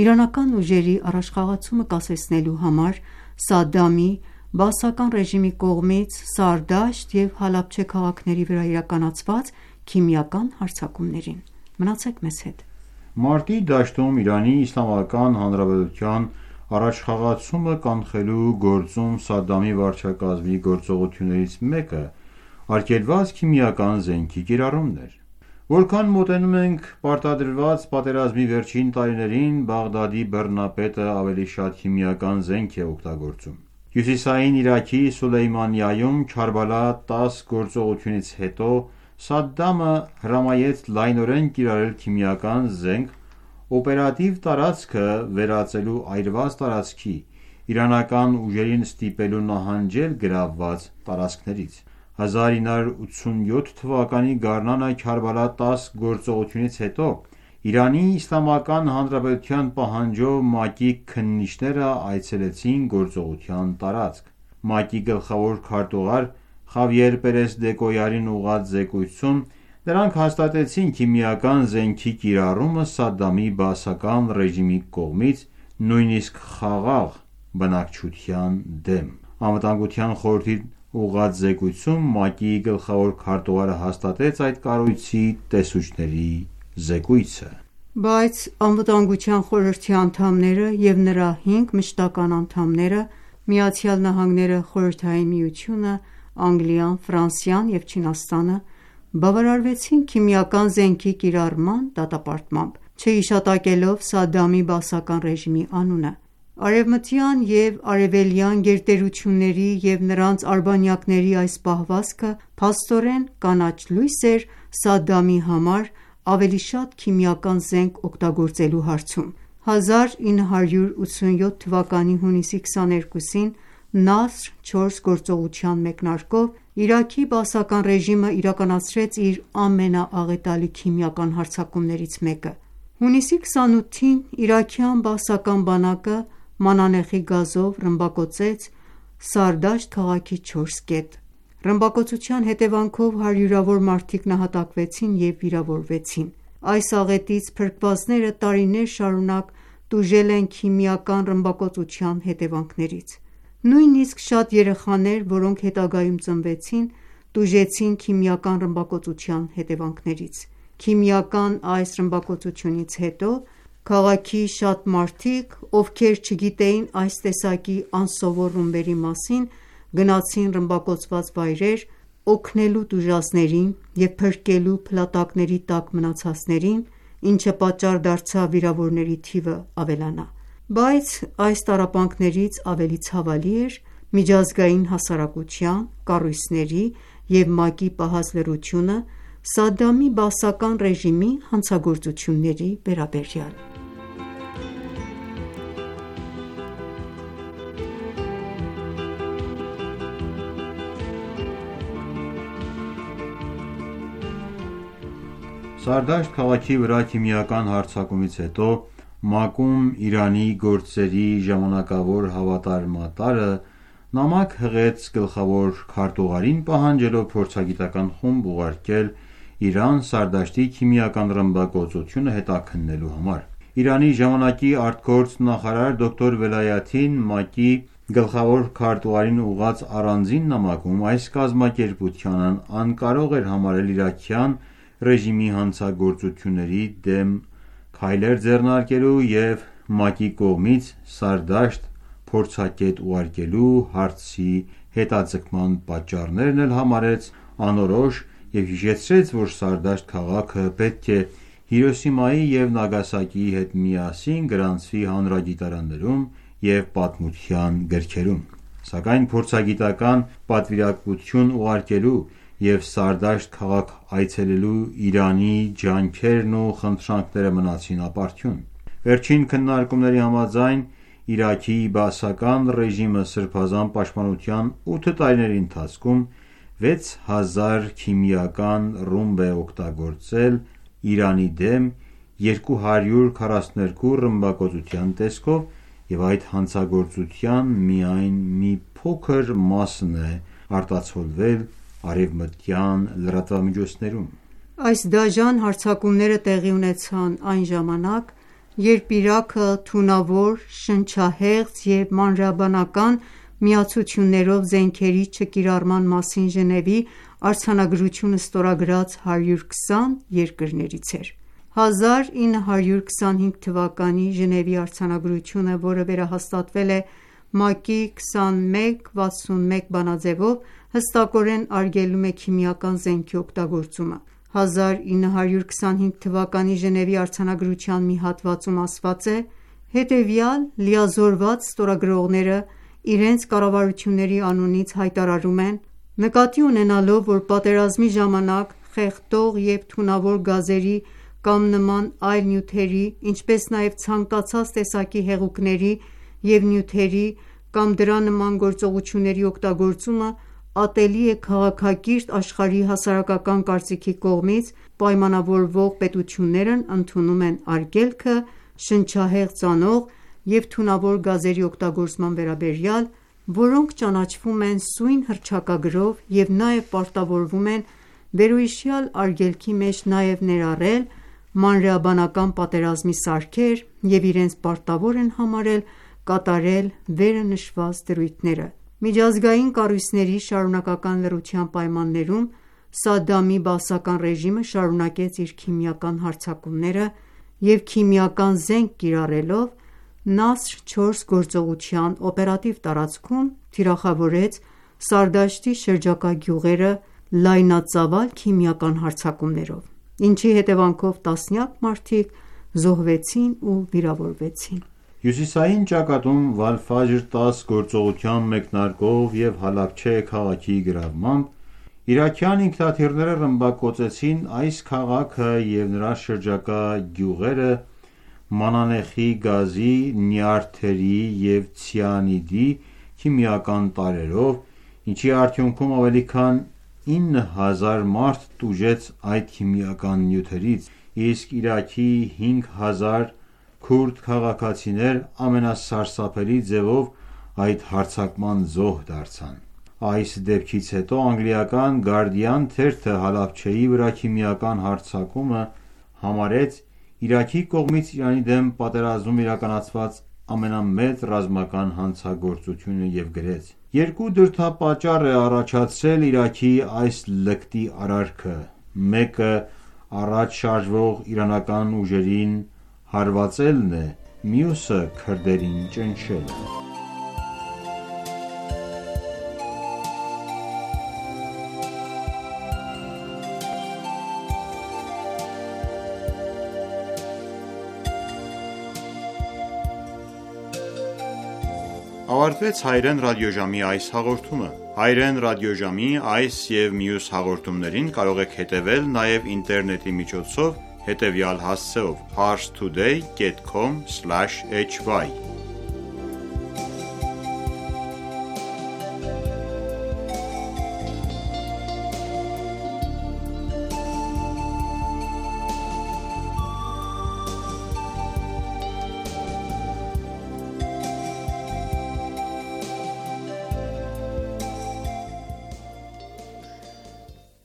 իրանական ուժերի առաջխաղացումը կասեցնելու համար Սադդամի բաասական ռեժիմի կողմից Սարդաշտ և Հալաբչե քաղաքների վրա իրականացված քիմիական հարձակումներին։ Մնացեք մեզ հետ։ Մարտի դաշտում Իրանի Իսլամական Հանրապետության առաջխաղացումը կանխելու գործում Սադդամի վարչակազմի գործողություններից մեկը արգելված քիմիական զենքի կիրառումն էր։ Որքան մոտենում ենք պարտադրված պատերազմի վերջին տարիներին, Բաղդադի բռնապետը ավելի շատ քիմիական զենք է օգտագործում։ Հյուսիսային Իրաքի Սուլեյմանիայում Քարբալա 10 գործողությունից հետո Սադդամը հրամայեց լայնորեն կիրառել քիմիական զենք օպերատիվ տարածքը վերածելու այրված տարածքի, իրանական ուժերին ստիպելու նահանջել գրավված տարածքներից։ 1987 թվականի գարնանը Քարբալա 10 գործողությունից հետո Իրանի Իսլամական Հանրապետության պահանջով ՄԱԿ-ի քննիչները այցելեցին գործողության տարածք։ ՄԱԿ-ի գլխավոր քարտուղար Խավիեր Պերես Դեկոյարին ուղղված զեկույցում նրանք հաստատեցին քիմիական զենքի կիրառումը Սադդամի բաասական ռեժիմի կողմից նույնիսկ խաղաղ բնակչության դեմ։ Անվտանգության խորհրդի ուղղված զեկույցում ՄԱԿ-ի գլխավոր քարտուղարը հաստատեց այդ կառույցի տեսուչների զեկույցը։ Բայց Անվտանգության խորհրդի անդամները և նրա 5 մշտական անդամները ԱՄՆ-ը, Խորհրդային Միությունը, Անգլիան, Ֆրանսիան և Չինաստանը բավարարվեցին քիմիական զենքի կիրառման դատապարտմամբ, չհիշատակելով Սադդամի բաասական ռեժիմի անունը։ Արևմտյան և արևելյան գերտերությունների և նրանց արբանյակների այս պահվածքը փաստորեն կանաչ լույս էր Սադամի համար ավելի շատ քիմիական զենք օգտագործելու հարցում: 1987 թվականի հունիսի 22-ին «Նասր 4» գործողության մեկնարկով Իրաքի բաասական ռեժիմը իրականացրեց իր ամենաաղետալի քիմիական հարձակումներից մեկը: Հունիսի 28-ին իրաքյան բաասական բանակը մանանեխի գազով ռմբակոծեց Սարդաշտ քաղաքի 4 կետ: Ռմբակոծության հետևանքով հարյուրավոր մարդիկ նահատակվեցին և վիրավորվեցին: Այս աղետից փրկվածները տարիներ շարունակ տուժել են քիմիական ռմբակոծության հետևանքներից: Նույնիսկ շատ երեխաներ, որոնք հետագայում ծնվեցին, տուժեցին քիմիական ռմբակոծության հետևանքներից: Քիմիական այս ռմբակոծությունից հետո քաղաքի շատ մարդիկ, ովքեր չգիտեին այս տեսակի անսովոր ռումբերի մասին, գնացին ռմբակոծված վայրեր՝ օգնելու տուժածներին և փրկելու փլատակների տակ մնացածներին, ինչը պատճառ դարձավ վիրավորների թիվը ավելանա: Բայց այս տառապանքներից ավելի ցավալի էր միջազգային հասարակության, կառույցների և ՄԱԿ-ի պահած լռությունը Սադամի բաասական ռեժիմի հանցագործությունների վերաբերյալ: Սարդաշտ քաղաքի վրա քիմիական հարձակումից հետո ՄԱԿ-ում Իրանի գործերի ժամանակավոր հավատարմատարը նամակ հղեց գլխավոր քարտուղարին պահանջելով փորձագիտական խումբ ուղարկել Իրան Սարդաշտի քիմիական ռմբակոծությունը հետաքննելու համար: Իրանի ժամանակի ԱԳ նախարար դոկտոր Վելայաթին ՄԱԿ-ի գլխավոր քարտուղարին ուղղված առանձին նամակում այս կազմակերպությանն անկարող էր համարել իրաքյան ռեժիմի հանցագործությունների դեմ քայլեր ձեռնարկելու և ՄԱԿ-ի կողմից Սարդաշտ փորձագետ ուղարկելու հարցի հետաձգման պատճառներն էլ համարեց անորոշ և հիշեցրեց, որ Սարդաշտ քաղաքը պետք է Հիրոսիմայի և Նագասակիի հետ միասին գրանցվի հանրագիտարաններում և պատմության գրքերում: Սակայն փորձագիտական պատվիրակություն ուղարկելու և Սարդաշտ քաղաք այցելելու Իրանի ջանքերն ու խնդրանքները մնացին ապարդյուն: Վերջին քննարկումների համաձայն Իրաքի բաասական ռեժիմը սրբազան պաշտպանության 8 տարիների ընթացքում 6000 քիմիական ռումբ է օգտագործել Իրանի դեմ 242 ռմբակոծության տեսքով և այդ հանցագործության միայն մի փոքր մասն է արտացոլվել արևմտյան լրատվամիջոցներում: Այս դաժան հարձակումները տեղի ունեցան այն ժամանակ, երբ Իրաքը թունավոր, շնչահեղձ և մանրէաբանական միացություններով զենքերի չկիրառման մասին Ժնևի արձանագրությունը ստորագրած 120 երկրներից էր: 1925 թվականի Ժնևի արձանագրությունը, որը վերահաստատվել է ՄԱԿ-ի 2161 բանաձևով, հստակորեն արգելում է քիմիական զենքի օգտագործումը: 1925 թվականի Ժնևի արձանագրության մի հատվածում ասված է. «Հետևյալ լիազորված ստորագրողները իրենց կառավարությունների անունից հայտարարում են. նկատի ունենալով, որ պատերազմի ժամանակ խեղդող և թունավոր գազերի կամ նման այլ նյութերի, ինչպես նաև ցանկացած տեսակի հեղուկների և նյութերի կամ դրա նման գործողությունների օգտագործումը ատելի է քաղաքակիրթ աշխարհի հասարակական կարծիքի կողմից, պայմանավորվող պետություններն ընդունում են արգելքը շնչահեղձ անող և թունավոր գազերի օգտագործման վերաբերյալ, որոնք ճանաչվում են սույն հռչակագրով և նաև պարտավորվում են վերոհիշյալ արգելքի մեջ նաև ներառել մանրէաբանական պատերազմի սարքեր և իրենց պարտավոր են համարել կատարել վերը նշված դրույթները»: Միջազգային կառույցների շարունակական լռության պայմաններում Սադամի բաասական ռեժիմը շարունակեց իր քիմիական հարձակումները և քիմիական զենք կիրառելով «Նասր 4» գործողության օպերատիվ տարածքում թիրախավորեց Սարդաշտի շրջակա գյուղերը լայնածավալ քիմիական հարձակումներով, ինչի հետևանքով տասնյակ մարդիկ զոհվեցին ու վիրավորվեցին: Հյուսիսային ճակատում Վալֆաջր 10 գործողության մեկնարկով և Հալաբչե քաղաքի գրավմամբ իրաքյան ինքնաթիռները ռմբակոծեցին այս քաղաքը և նրա շրջակա գյուղերը մանանեխի գազի, նյարդերի և ցիանիդի քիմիական տարրերով, ինչի արդյունքում ավելի քան 9000 մարդ տուժեց այդ քիմիական նյութերից, իսկ Իրաքի 5000 քուրդ քաղաքացիներ ամենասարսափելի ձևով այդ հարձակման զոհ դարձան։ Այս դեպքից հետո անգլիական Guardian թերթը Հալաբչեի վրա քիմիական հարձակումը համարեց Իրաքի կողմից Իրանի դեմ պատերազմում իրականացված ամենամեծ ռազմական հանցագործությունը և գրեց. «Երկու դրդապատճառ է առաջացրել Իրաքի այս լկտի արարքը. մեկը առաջ շարժվող իրանական ուժերին հարվածելն է, մյուսը քրդերին ճնշելը»։ Ավարտվեց Հայրեն ռադիոժամի այս հաղորդումը։ Հայրեն ռադիոժամի այս և մյուս հաղորդումներին կարող եք հետևել նաև ինտերնետի միջոցով հետևյալ հասցեով՝ parstoday.com/hy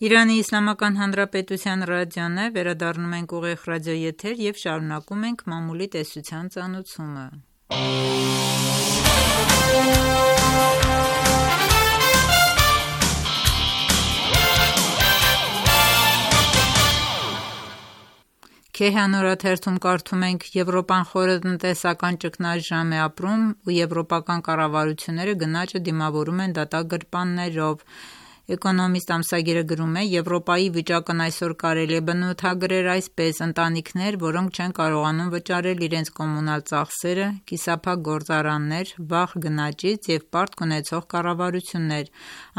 Իրանի Իսլամական Հանրապետության ռադիոն է, վերադառնում ենք ուղիղ ռադիոեթեր և շարունակում ենք մամուլի տեսության ծանոթումը։ Քեհան օրաթերթում կարդում ենք. Եվրոպան խորը տնտեսական ճգնաժամ է ապրում ու եվրոպական կառավարությունները գնաճը դիմավորում են դատագրպաններով։ Էկոնոմիստ ամսագիրը գրում է. Եվրոպայի վիճակն այսօր կարելի է բնութագրել այսպես. ընտանիքներ, որոնք չեն կարողանում վճարել իրենց կոմունալ ծախսերը, կիսափակ գործարաններ, վաղ գնաճից և պարտք ունեցող կառավարություններ։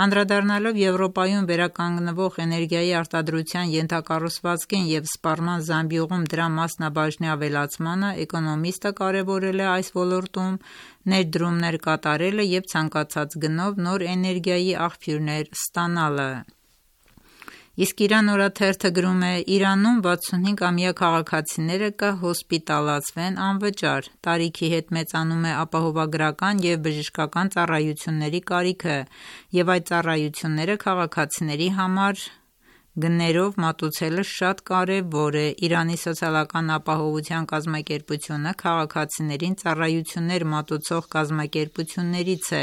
Անդրադառնալով Եվրոպայում վերականգնվող էներգիայի արտադրության ենթակառուցվածքին և սպառման զամբյուղում դրա մասնաբաժնի ավելացմանը, էկոնոմիստը կարևորել է այս ոլորտում ներդրումներ կատարելը և ցանկացած գնով նոր էներգիայի աղբյուրներ ստանալը։ Իսկ Իրան օրաթերթը գրում է. Իրանում 65-ամյա քաղաքացիները կհոսպիտալացվեն անվճար։ Տարիքի հետ մեծանում է ապահովագրական և բժշկական ծառայությունների կարիքը, և այդ ծառայությունները քաղաքացիների համար գներով մատուցելը շատ կարևոր է։ Իրանի սոցիալական ապահովության կազմակերպությունը քաղաքացիներին ծառայություններ մատուցող կազմակերպություններից է,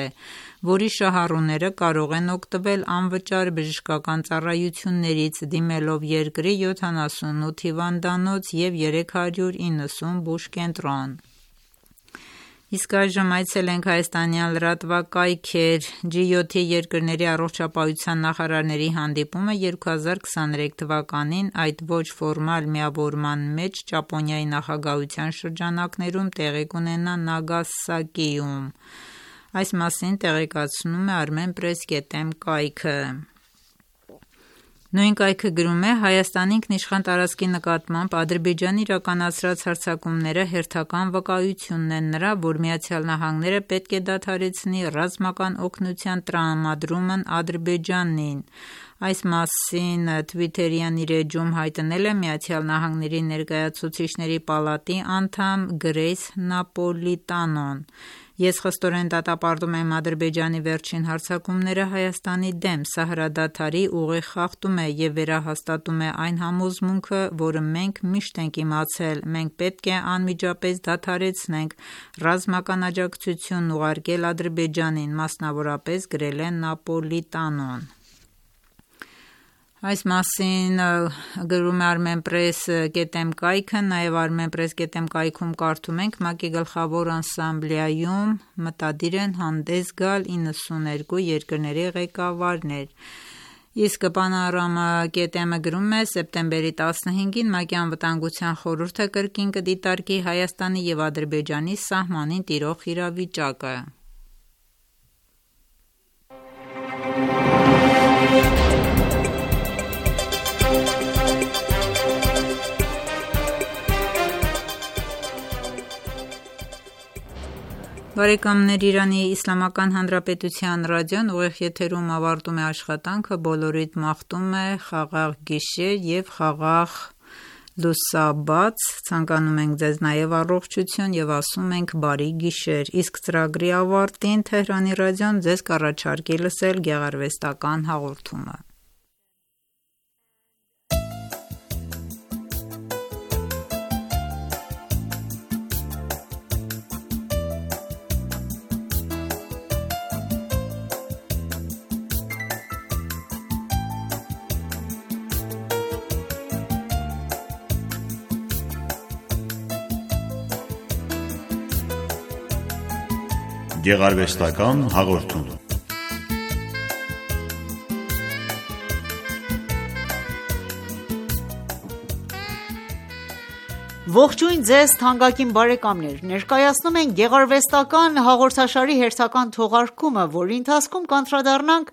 որի շահառուները կարող են օգտվել անվճար բժշկական ծառայություններից՝ դիմելով երկրի 78 հիվանդանոց և 390 բուժկենտրոն։ Իսկ այժմ այցելենք հայաստանյան լրատվակայքեր։ G7 երկրների առողջապահության նախարարների հանդիպումը 2023 թվականին, այդ ոչ ֆորմալ միավորման մեջ Ճապոնիայի նախագահության շրջանակներում տեղի կունենա Նագասակիում։ Այս մասին տեղեկացնում է Armenpress.am կայքը։ Նույն կայքը գրում է. Հայաստանի ինքնիշխան տարածքի նկատմամբ Ադրբեջանի իրականացրած հարձակումները հերթական վկայությունն են նրա, որ ԱՄՆ-ը պետք է դադարեցնի ռազմական օգնության տրամադրումն Ադրբեջանին։ Այս մասին Twitter-յան իր էջում հայտնել է ԱՄՆ Ներկայացուցիչների պալատի անդամ Գրեյս Նապոլիտանոն։ Ես խստորեն դատապարտում եմ Ադրբեջանի վերջին հարձակումները Հայաստանի դեմ, սա հրադադարի ուղիղ խախտում է և վերահաստատում է այն համոզմունքը, որը մենք միշտ ենք իմացել, մենք պետք է անմիջապես դադարեցնենք ռազմական աջակցություն ուղարկել Ադրբեջանին, մասնավորապես գրել է Նապոլիտանոն։ Այս մասին գրում է Armenpress.am կայքը, նաև Armenpress.am կայքում կարդում ենք. ՄԱԿ-ի գլխավոր ասամբլեայում մտադիր են հանդես գալ 92 երկրների ղեկավարներ։ Իսկ Panorama.am-ը գրում է. սեպտեմբերի 15-ին ՄԱԿ-ի անվտանգության խորհուրդը կրկին կդիտարկի Հայաստանի և Ադրբեջանի սահմանին տիրող իրավիճակը։ Բարեկամներ, Իրանի Իսլամական Հանրապետության ռադիոն ուղիղ եթերում ավարտում է աշխատանքը, բոլորիդ մաղթում է խաղաղ գիշեր և խաղաղ լուսաբաց, ցանկանում ենք ձեզ նաև առողջություն և ասում ենք բարի գիշեր, իսկ ծրագրի ավարտին Թեհրանի ռադիոն ձեզ կառաջարկի լսել գեղարվեստական հաղորդումը։ Գեղարվեստական հաղորդում։ Ողջույն ձեզ թանկագին բարեկամներ, ներկայացնում ենք գեղարվեստական հաղորդաշարի հերթական թողարկումը, որի ընթացքում կանդրադառնանք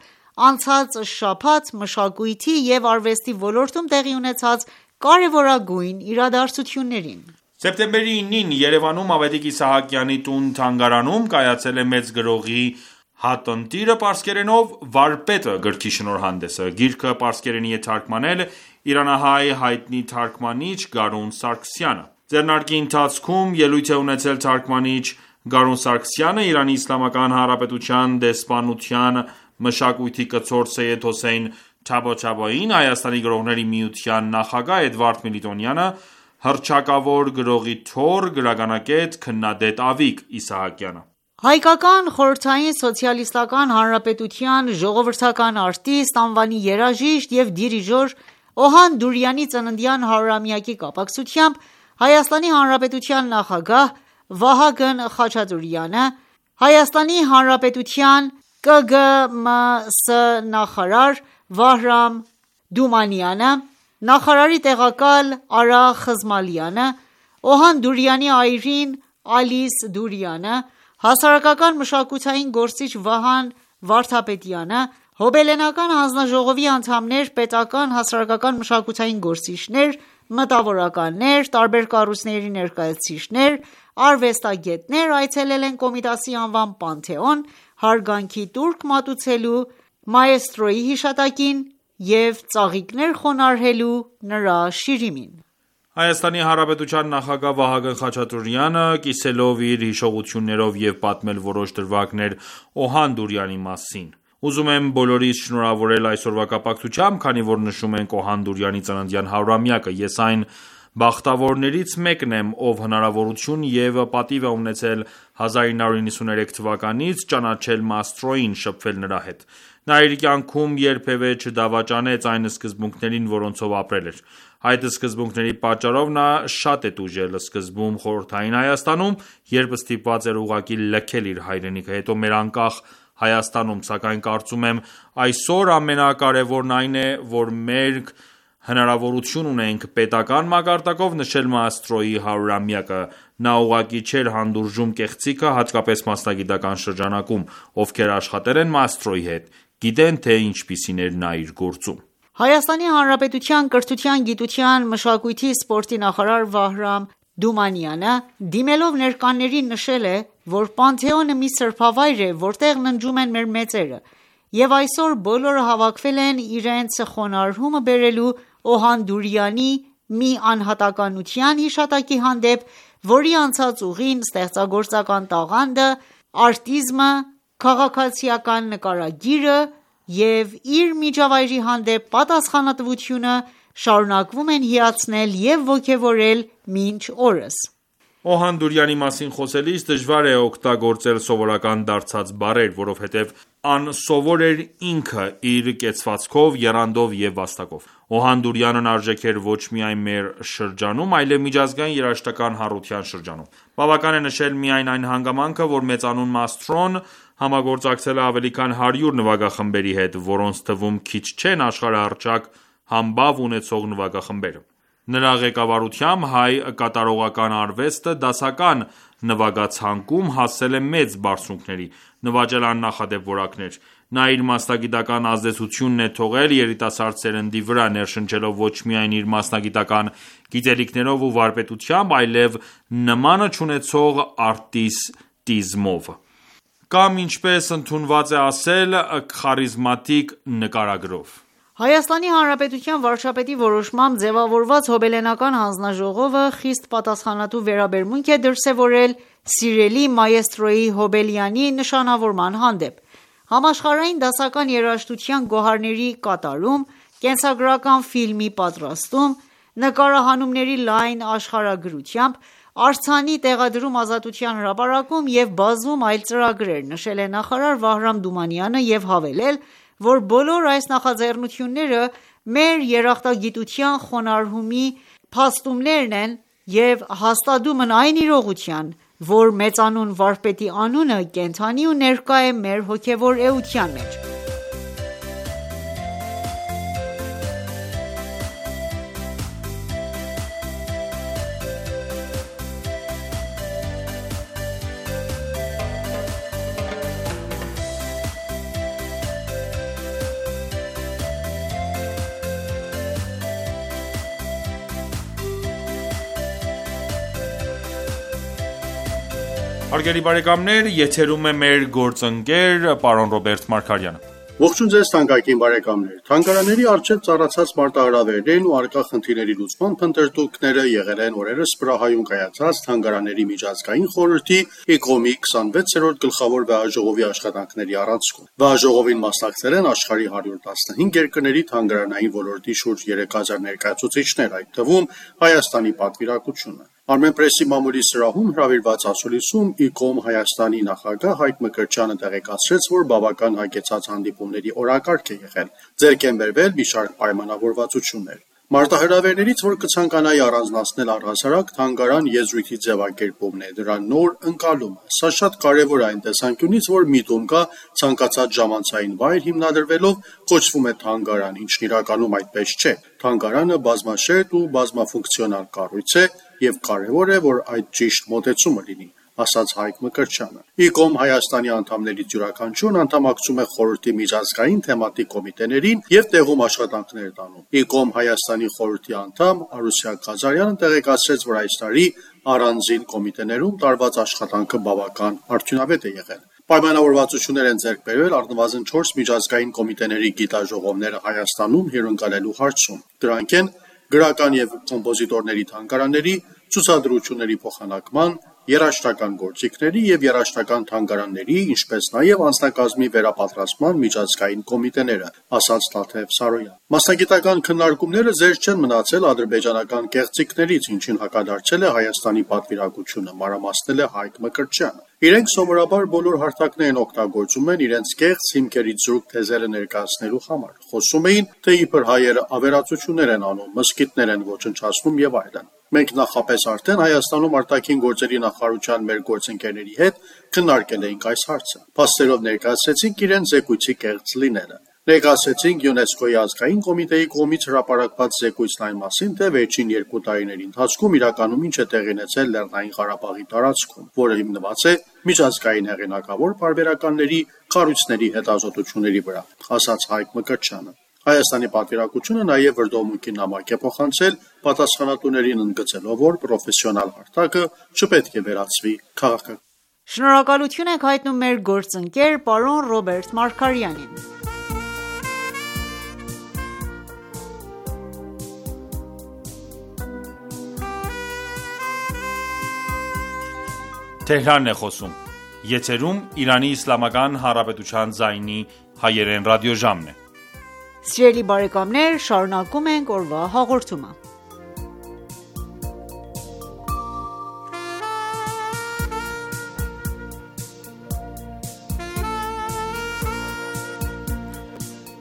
անցած շաբաթ մշակույթի և արվեստի ոլորտում տեղի ունեցած կարևորագույն իրադարձություններին։ Սեպտեմբերի 9-ին Երևանում Ավետիք Իսահակյանի տուն-թանգարանում կայացել է մեծ գրողի «Հատնտիրը պարսկերենով, վարպետը» գրքի շնորհանդեսը։ Գիրքը պարսկերենի է թարգմանել իրանահայ հայտնի թարգմանիչ Գարուն Սարգսյանը։ Ձեռնարկի ընթացքում ելույթ է ունեցել թարգմանիչ Գարուն Սարգսյանը, Իրանի Իսլամական Հանրապետության դեսպանության մշակույթի կցորդ Սեյեդ Հոսեյն Թաբաթաբային, Հայաստանի գրողների միության նախագահ Էդվարդ Միլիտոնյանը, հռչակավոր գրողի թոռ, գրականագետ, քննադետ Ավիկ Իսահակյանը։ Հայկական խորհրդային սոցիալիստական հանրապետության ժողովրդական արտիստ, անվանի երաժիշտ և դիրիժոր Օհան Դուրյանի ծննդյան 100-ամյակի կապակցությամբ Հայաստանի Հանրապետության նախագահ Վահագն Խաչատուրեանը, Հայաստանի Հանրապետության ԿԳՄՍ նախարար Վահրամ Դումանյանը, նախարարի տեղակալ Արա Խզմալյանը, Օհան Դուրյանի այրին Ալիս Դուրյանը, հասարակական մշակութային գործիչ Վահան Վարդապետյանը, Հոբելենական հանձնաժողովի անդամներ, պետական, հասարակական մշակութային գործիչներ, մտավորականներ, տարբեր կառույցների ներկայացուցիչներ, արվեստագետներ այցելել են Կոմիտասի անվան Պանթեոն՝ հարգանքի տուրք մատուցելու մաեստրոյի հիշատակին և ծաղիկներ խոնարհելու նրա շիրիմին։ Հայաստանի Հանրապետության նախագահ Վահագն Խաչատուրեանը, կիսելով իր հիշողություններով և պատմել որոշ դրվագներ Օհան Դուրյանի մասին։ Ուզում եմ բոլորիս շնորհավորել այսօրվա կապակցությամբ, քանի որ նշում ենք Օհան Դուրյանի ծննդյան 100-ամյակը։ Ես այն բախտավորներից մեկն եմ, ով հնարավորություն և պատիվ է ունեցել 1993 թվականից ճանաչել Մաստրոյին, շփվել նրա հետ։ Նա իր կյանքում երբևէ չդավաճանեց այն սկզբունքներին, որոնցով ապրել էր։ Այդ սկզբունքների պատճառով նա շատ է տուժել, սկզբում Խորհրդային Հայաստանում, երբ ստիպված էր ուղղակի լքել իր հայրենիքը, հետո մեր անկախ Հայաստանում, սակայն կարծում եմ այսօր ամենակարևորն այն է, որ մենք հնարավորություն ունենք պետական մակարդակով նշել Մաստրոյի 100-ամյակը։ Նա ուղղակի չէր հանդուրժում կեղծիքը, հատկապես մասնագիտական շրջանակում, ովքեր աշխատել են Մաստրոյի հետ, գիտեն, թե ինչպիսին էր նա իր գործում։ Հայաստանի Հանրապետության կրթության, գիտության, մշակույթի, սպորտի նախարար Վահրամ Դումանյանը դիմելով ներկաներին նշել է, որ Պանթեոնը մի սրբավայր է, որտեղ ննջում են մեր մեծերը, և այսօր բոլորը հավաքվել են իրենց խոնարհումը բերելու Օհան Դուրյանի մի անհատականության հիշատակի հանդեպ, որի անցած ուղին, ստեղծագործական տաղանդը, արտիզմը, քաղաքացիական նկարագիրը և իր միջավայրի հանդեպ պատասխանատվությունը շարունակվում են հիացնել և ոգևորել մինչ օրս։ Օհան Դուրյանի մասին խոսելիս դժվար է օգտագործել սովորական դարձած բառեր, որովհետև անսովոր էր ինքը իր կեցվածքով, եռանդով և վաստակով։ Օհան Դուրյանն արժեք էր ոչ միայն մեր շրջանում, այլև միջազգային երաժշտական հանրության շրջանում։ Բավական է նշել միայն այն հանգամանքը, որ մեծանուն Մաստրոն համագործակցել է ավելի քան 100 նվագախմբերի հետ, որոնց թվում քիչ չեն աշխարհահռչակ համբավ ունեցող նվագախմբերը։ Նրա ղեկավարությամբ հայ կատարողական արվեստը դասական նվագացանկում հասել է մեծ բարձունքների, նվաճել աննախադեպ որակներ։ Նա իր մասնագիտական ազդեցությունն է թողել երիտասարդ սերնդի վրա, ներշնչելով ոչ միայն իր մասնագիտական գիտելիքներով ու վարպետությամբ, այլև նմանը չունեցող արտիստիզմով, կամ ինչպես ընդունված է ասել, խարիզմատիկ նկարագրով։ Հայաստանի Հանրապետության վարչապետի որոշմամբ ձևավորված հոբելենական հանձնաժողովը խիստ պատասխանատու վերաբերմունք է դրսևորել սիրելի մայեստրոյի Հոբելյանի նշանավորման հանդեպ։ Համաշխարհային դասական երաժշտության գոհարների կատարում, կենսագրական ֆիլմի պատրաստում, նկարահանումների լայն աշխարհագրությամբ, արձանի տեղադրում Ազատության հրապարակում և բազում այլ ծրագրեր, նշել է նախարար Վահրամ Դումանյանը և հավելել, որ բոլոր այս նախաձեռնությունները մեր երախտագիտության խոնարհումի փաստումներն են և հաստատում են այն իրողության, որ մեծանուն վարպետի անունը կենդանի ու ներկա է մեր հոգևոր էության մեջ։ Հարգելի բարեկամներ, եթերում է մեր գործընկեր պարոն Ռոբերտ Մարգարյանը։ Ողջույն ձեզ թանկագին բարեկամներ։ Թանգարանների առջև ծառացած մարտահրավերներն ու առկա խնդիրների լուծման փնտրտուքները եղել են օրերս Պրահայում կայացած Թանգարանների միջազգային խորհրդի ICOM-ի 26-րդ գլխավոր վեհաժողովի աշխատանքների առանցքում։ Վեհաժողովին մասնակցել են աշխարհի 115 երկրների թանգարանային ոլորտի շուրջ 3000 ներկայացուցիչներ, այդ թվում Հայաստանի պատվիրակությունը։ Armenpress-ի մամուլի սրահում հրավիրված ասուլիսում ICOM Հայաստանի նախագահ Հայկ Մկրտչյանը տեղեկացրեց, որ բավական հագեցած հանդիպումների օրակարգ է եղել, ձեռք են բերվել մի շարք պայմանավորվածություններ։ Մարտահրավերներից, որ կցանկանայի առանձնացնել առհասարակ թանգարան եզրույթի ձևակերպումն է, դրա նոր ընկալումը։ Սա շատ կարևոր է այն տեսանկյունից, որ միտում կա ցանկացած ժամանցային վայր հիմնադրվելով կոչվում է թանգարան, ինչն իրականում այդպես չէ։ Թանգարանը բազմաշերտ ու բազմաֆունկցիոնալ կառույց է և կարևոր է, որ այդ ճիշտ մոտեցումը լինի, ասաց Հայկ Մկրտչյանը։ ICOM Հայաստանի անդամներից յուրաքանչյուրն անդամակցում է խորհրդի միջազգային թեմատիկ կոմիտեներին և տեղում աշխատանքներ է տանում։ ICOM Հայաստանի խորհրդի անդամ Արուսյա Ղազարյանը տեղեկացրեց, որ այս տարի առանձին կոմիտեներում տարված աշխատանքը բավական արդյունավետ է եղել։ Պայմանավորվածություններ են ձեռք բերվել առնվազն 4 միջազգային կոմիտեների գիտաժողովները Հայաստանում հյուրընկալելու հարցում։ Դրանք են գրական և կոմպոզիտորների թանգարանների, ցուցադրությունների փոխանակման, երաժշտական գործիքների և երաժշտական թանգարանների, ինչպես նաև անձնակազմի վերապատրաստման միջազգային կոմիտեները, ասաց Թաթև Սարոյան։ Մասնագիտական քննարկումները զերծ չեն մնացել ադրբեջանական կեղծիքներից, ինչին հակադարձել է Հայաստանի պատվիրակությունը, մանրամասնել է Հայկ Մկրտչյանը։ Իրենք սովորաբար բոլոր հարթակներ են օգտագործում են իրենց կեղծ հիմքերից զուրկ թեզերը ներկայացնելու համար։ Խոսում էին, թե իբր հայերը ավերածություններ են անում, մզկիթներ են ոչնչացնում եւ այլն։ Մենք նախապես արդեն Հայաստանում արտաքին գործերի նախարարության մեր գործընկերների հետ քննարկել էինք այս հարցը։ Փաստերով ներկայացրեցինք իրենց զեկույցի կեղծ լինելը։ Ներկայացրեցինք ՅՈՒՆԵՍԿՕ-ի ազգային կոմիտեի կողմից հրապարակված զեկույցն այն մասին, թե վերջին 2 տարիների ընթացքում իրականում ինչ է տեղի ունեցել Լեռնային Ղարաբաղի տարածքում, որը հիմնված է միջազգային հեղինակավոր պարբերականների կառույցների հետազոտությունների վրա, ասաց Հայկ Մկրտչյանը։ Հայաստանի պատվիրակությունը նաև վրդովմունքի նամակ է փոխանցել պատասխանատուներին ընդգծելով, որ պրոֆեսիոնալ հարթակը չպետք է վերածվի քաղաքական։ Շնորհակալություն ենք հայտնում մեր գործընկեր պարոն Ռոբերտ Մարգարյանին։ Թեհրանն է խոսում։ Եթերում Իրանի Իսլամական Հանրապետության ձայնի հայերեն ռադիոժամն է։ Սիրելի բարեկամներ, շարունակում ենք օրվա հաղորդումը։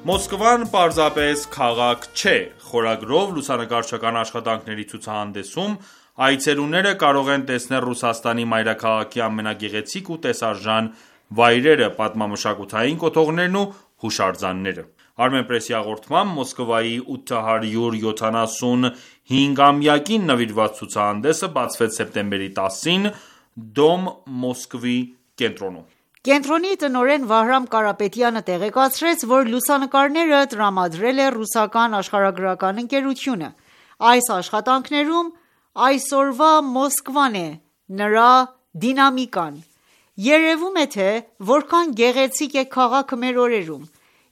Մոսկվան պարզապես քաղաք չէ խորագրով լուսանկարչական աշխատանքների ցուցահանդեսում այցելուները կարող են տեսնել Ռուսաստանի մայրաքաղաքի ամենագեղեցիկ ու տեսարժան վայրերը, պատմամշակութային կոթողներն ու հուշարձանները։ Armenpress-ի հաղորդմամբ Մոսկվայի 875-ամյակին նվիրված ցուցահանդեսը բացվեց սեպտեմբերի 10-ին Դոմ Մոսկվի կենտրոնում։ Կենտրոնի տնօրեն Վահրամ Կարապետյանը տեղեկացրեց, որ լուսանկարները տրամադրել է ռուսական աշխարհագրական ընկերությունը։ Այս աշխատանքներում այսօրվա Մոսկվան է, նրա դինամիկան։ Երևում է, թե որքան գեղեցիկ է քաղաքը մեր օրերում։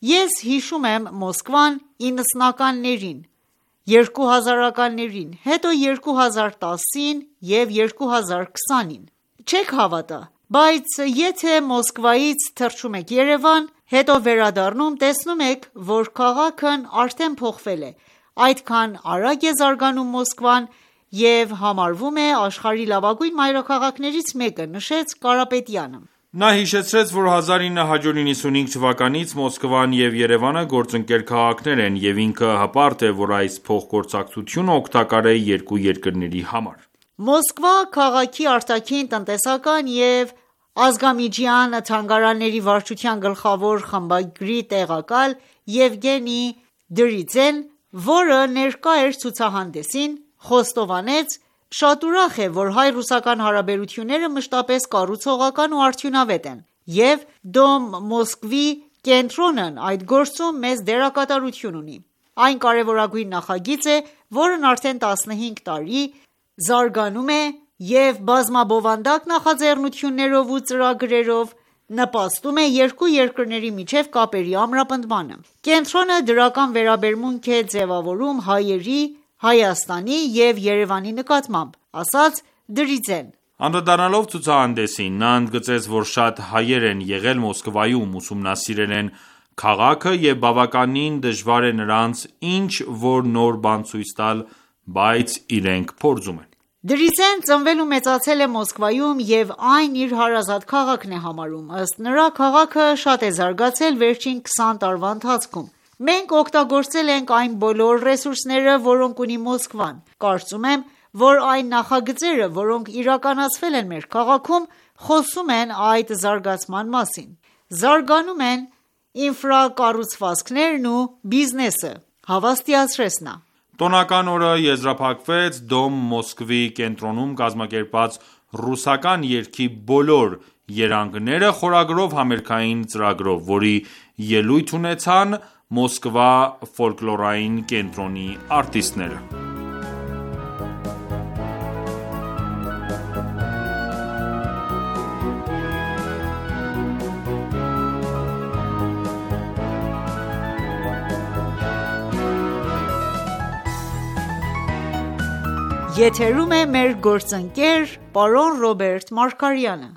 Ես հիշում եմ Մոսկվան 90-ականներին, 2000-ականներին, հետո 2010-ին և 2020-ին։ Չեք հավատա, բայց եթե Մոսկվայից թռչում եք Երևան, հետո վերադառնում, տեսնում եք, որ քաղաքն արդեն փոխվել է, այդքան արագ է զարգանում Մոսկվան և համարվում է աշխարհի լավագույն մայրաքաղաքներից մեկը, նշեց Կարապետյանը։ Նա հիշեցրեց, որ 1995 թվականից Մոսկվան և Երևանը գործընկեր քաղաքներ են, և ինքը հպարտ է, որ այս փոխգործակցությունը օգտակար է երկու երկրների համար։ Մոսկվա քաղաքի արտաքին տնտեսական և ազգամիջյան թանգարանների վարչության գլխավոր խմբագրի տեղակալ Եվգենի Դրիձեն, որը ներկա էր ցուցահանդեսին, խոստովանեց. «Շատ ուրախ է, որ հայ-ռուսական հարաբերությունները մշտապես կառուցողական ու արդյունավետ են, և Դոմ Մոսկվի կենտրոնն այդ գործում մեծ դերակատարություն ունի։ Այն կարևորագույն նախագիծ է, որն արդեն 15 տարի զարգանում է և բազմաբովանդակ նախաձեռնություններով ու ծրագրերով նպաստում է երկու երկրների միջև կապերի ամրապնդմանը։ Կենտրոնը դրական վերաբերմունք է ձևավորում հայերի, Հայաստանի և Երևանի նկատմամբ», ասաց Դրիձեն։ Անդրադառնալով ցուցահանդեսին, նա ընդգծեց, որ շատ հայեր են եղել Մոսկվայում, ուսումնասիրել են քաղաքը և բավականին դժվար է նրանց ինչ-որ նոր բան ցույց տալ, բայց իրենք փորձում են։ Դրիձեն ծնվել ու մեծացել է Մոսկվայում և այն իր հարազատ քաղաքն է համարում։ Ըստ նրա, քաղաքը շատ է զարգացել վերջին 20 տարվա ընթացքում։ Մենք օգտագործել ենք այն բոլոր ռեսուրսները, որոնք ունի Մոսկվան։ Կարծում եմ, որ այն նախագծերը, որոնք իրականացվել են մեր քաղաքում, խոսում են այդ զարգացման մասին։ Զարգանում են ինֆրակառուցվածքներն ու բիզնեսը, հավաստիացրեց նա։ Տոնական օրը եզրափակվեց Դոմ Մոսկվի կենտրոնում կազմակերպված ռուսական երգի բոլոր երանգները խորագրով համերգային ծրագրով, որի ելույթ ունեցան Մոսկվա ֆոլկլորային կենտրոնի արտիստները։ Եթերում է մեր գործընկեր պարոն Ռոբերտ Մարգարյանը։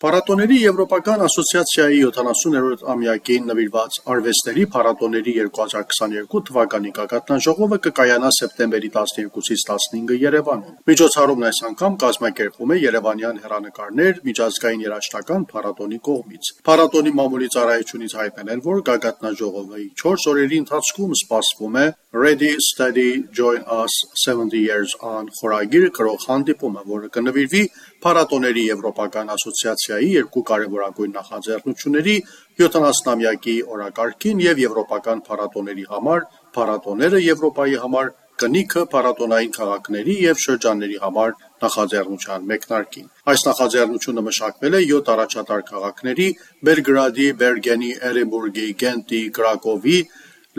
Փառատոների Եվրոպական ասոցիացիայի 70-րդ ամյակին նվիրված արվեստների փառատոների 2022 թվականի գագաթնաժողովը կկայանա սեպտեմբերի 12-ից 15-ը Երևանում։ Միջոցառումն այս անգամ կազմակերպվում է Երևանյան հեռանկարներ միջազգային երաժշտական փառատոնի կողմից։ Փառատոնի մամուլի ծառայությունից հայտնել են, որ գագաթնաժողովի 4 օրերի ընթացքում սպասվում է Ready Steady Join Us 70 Years On խորագիր կրող հանդիպումը, որը կնվիրվի Փառատոների Եվրոպական ասոցիացիայի երկու կարևորագույն նախաձեռնությունների 70-ամյակի օրակարգին եւ եվրոպական փառատոների համար, փառատոները Եվրոպայի համար, կնիքը փառատոնային քաղաքների եւ շրջանների համար նախաձեռնության մեկնարկին։ Այս նախաձեռնությունը մշակվել է 7 առաջատար քաղաքների՝ Բելգրադի, Բերգենի, Էրենբուրգի, Գենտի, Կրակովի,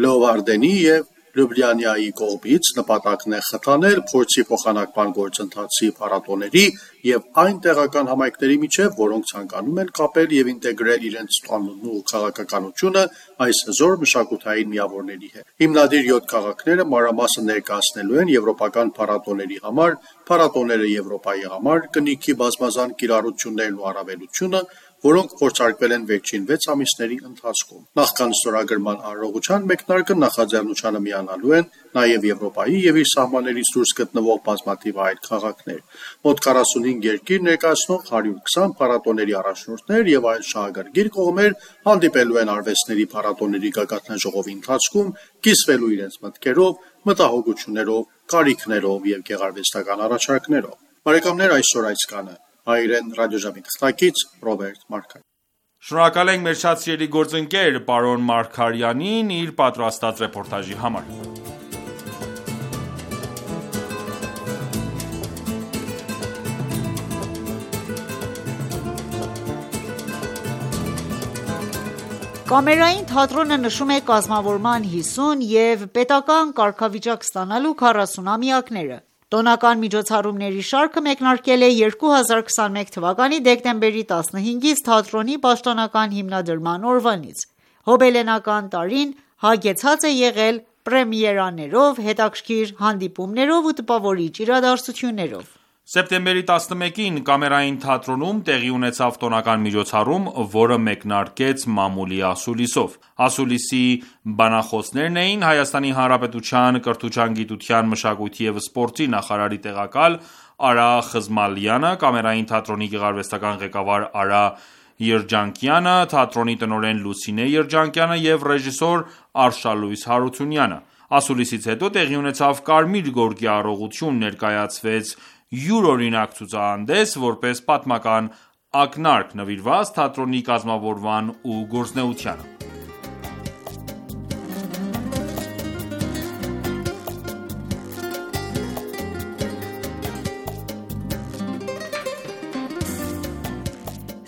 Լեովարդենի եւ Լյուբլիանայի կողմից։ Նպատակն է խթանել փորձի փոխանակման գործընթացի փառատոների եւ այն տեղական համայնքների միջև, որոնք ցանկանում են կապել եւ ինտեգրել իրենց տոնն ու քաղաքականությունը այս հզոր մշակութային միավորների հետ։ Հիմնադիր 7 քաղաքները մանրամասը ներկայացնելու են եվրոպական փառատոների համար, փառատոները Եվրոպայի համար, կնիքի բազմազան կիրառություններն ու առավելությունը, որոնք փորձարկվել են վերջին 6 ամիսների ընթացքում։ Նախքան ստորագրման արարողության մեկնարկը նախաձեռնությանը միանալու են նաև Եվրոպայի եւ իր սահմաններից դուրս գտնվող բազմաթիվ այլ քաղաքներ։ Մոտ 45 երկիր ներկայացնող 120 փառատոների առաջնորդներ եւ այլ շահագրգիռ կողմեր հանդիպելու են արվեստների փառատոների գագաթնաժողովի ընթացքում, կիսվելու իրենց մտքերով, մտահոգություններով, կարիքներով եւ գեղարվեստական առաջարկներով։ Բարեկամներ, այսօր այսքանը։ Հայրեն ռադիոժամի թղթակից Ռոբերտ Մարգարյան։ Շնորհակալ ենք մեր շատ սիրելի գործընկեր պարոն Մարգարյանին իր պատրաստած ռեպորտաժի համար։ Կամերային թատրոնը նշում է կազմավորման 50 և պետական կարգավիճակ ստանալու 40-ամյակները։ Տոնական միջոցառումների շարքը մեկնարկել է 2021 թվականի դեկտեմբերի 15-ից թատրոնի պաշտոնական հիմնադրման օրվանից։ Հոբելենական տարին հագեցած է եղել պրեմիերաներով, հետաքրքիր հանդիպումներով ու տպավորիչ իրադարձություններով։ Սեպտեմբերի 11-ին Կամերային թատրոնում տեղի ունեցավ տոնական միջոցառում, որը մեկնարկեց մամուլի ասուլիսով։ Ասուլիսի բանախոսներն էին Հայաստանի Հանրապետության կրթության, գիտության, մշակույթի և սպորտի նախարարի տեղակալ Արա Խզմալյանը, Կամերային թատրոնի գեղարվեստական ղեկավար Արա Երջանկյանը, թատրոնի տնօրեն Լուսինե Երջանկյանը և ռեժիսոր Արշալույս Հարությունյանը։ Ասուլիսից հետո տեղի ունեցավ Կարմիր գորգի առողջություն, ներկայացվեց յուրօրինակ ցուցահանդես, որպես պատմական ակնարկ նվիրված թատրոնի կազմավորման ու գործունեությանը։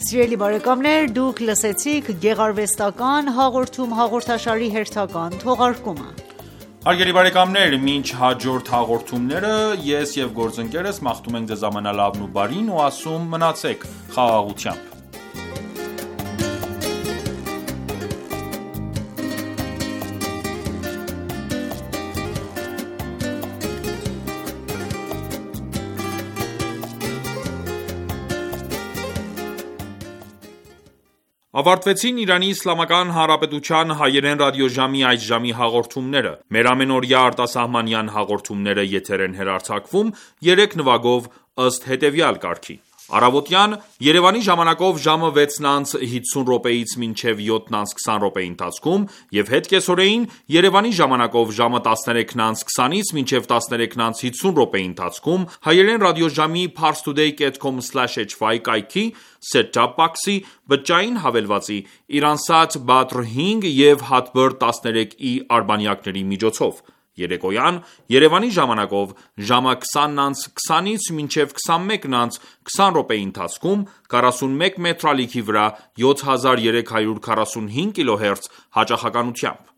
Սիրելի բարեկամներ, դուք լսեցիք գեղարվեստական հաղորդում հաղորդաշարի հերթական թողարկումը։ Հարգելի բարեկամներ, մինչ հաջորդ հաղորդումները ես և գործընկերս մաղթում ենք ձեզ ամենալավն ու բարին ու ասում մնացեք խաղաղությամբ։ Ավարտվեցին Իրանի Իսլամական Հանրապետության հայերեն ռադիոժամի այս ժամի հաղորդումները։ Մեր ամենօրյա արտասահմանյան հաղորդումները եթեր են հեռարձակվում 3 նվագով ըստ հետևյալ կարգի. Առավոտյան Երևանի ժամանակով ժամը 6:50-ից մինչև 7:20 ընթացքում եւ հետ կեսօրեին Երևանի ժամանակով ժամը 13:20-ից մինչև 13:50 ընթացքում հայերեն ռադիոժամի parstoday.com/hy կայքի set-top box-ի բջջային հավելվածի Iransat Badr 5 եւ Hotbird 13i արբանյակների միջոցով։ Երեկոյան Երևանի ժամանակով ժամը 20:20-ից մինչև 21:20 ընթացքում 41 մետրալիքի վրա 7345 կիլոհերց հաճախականությամբ։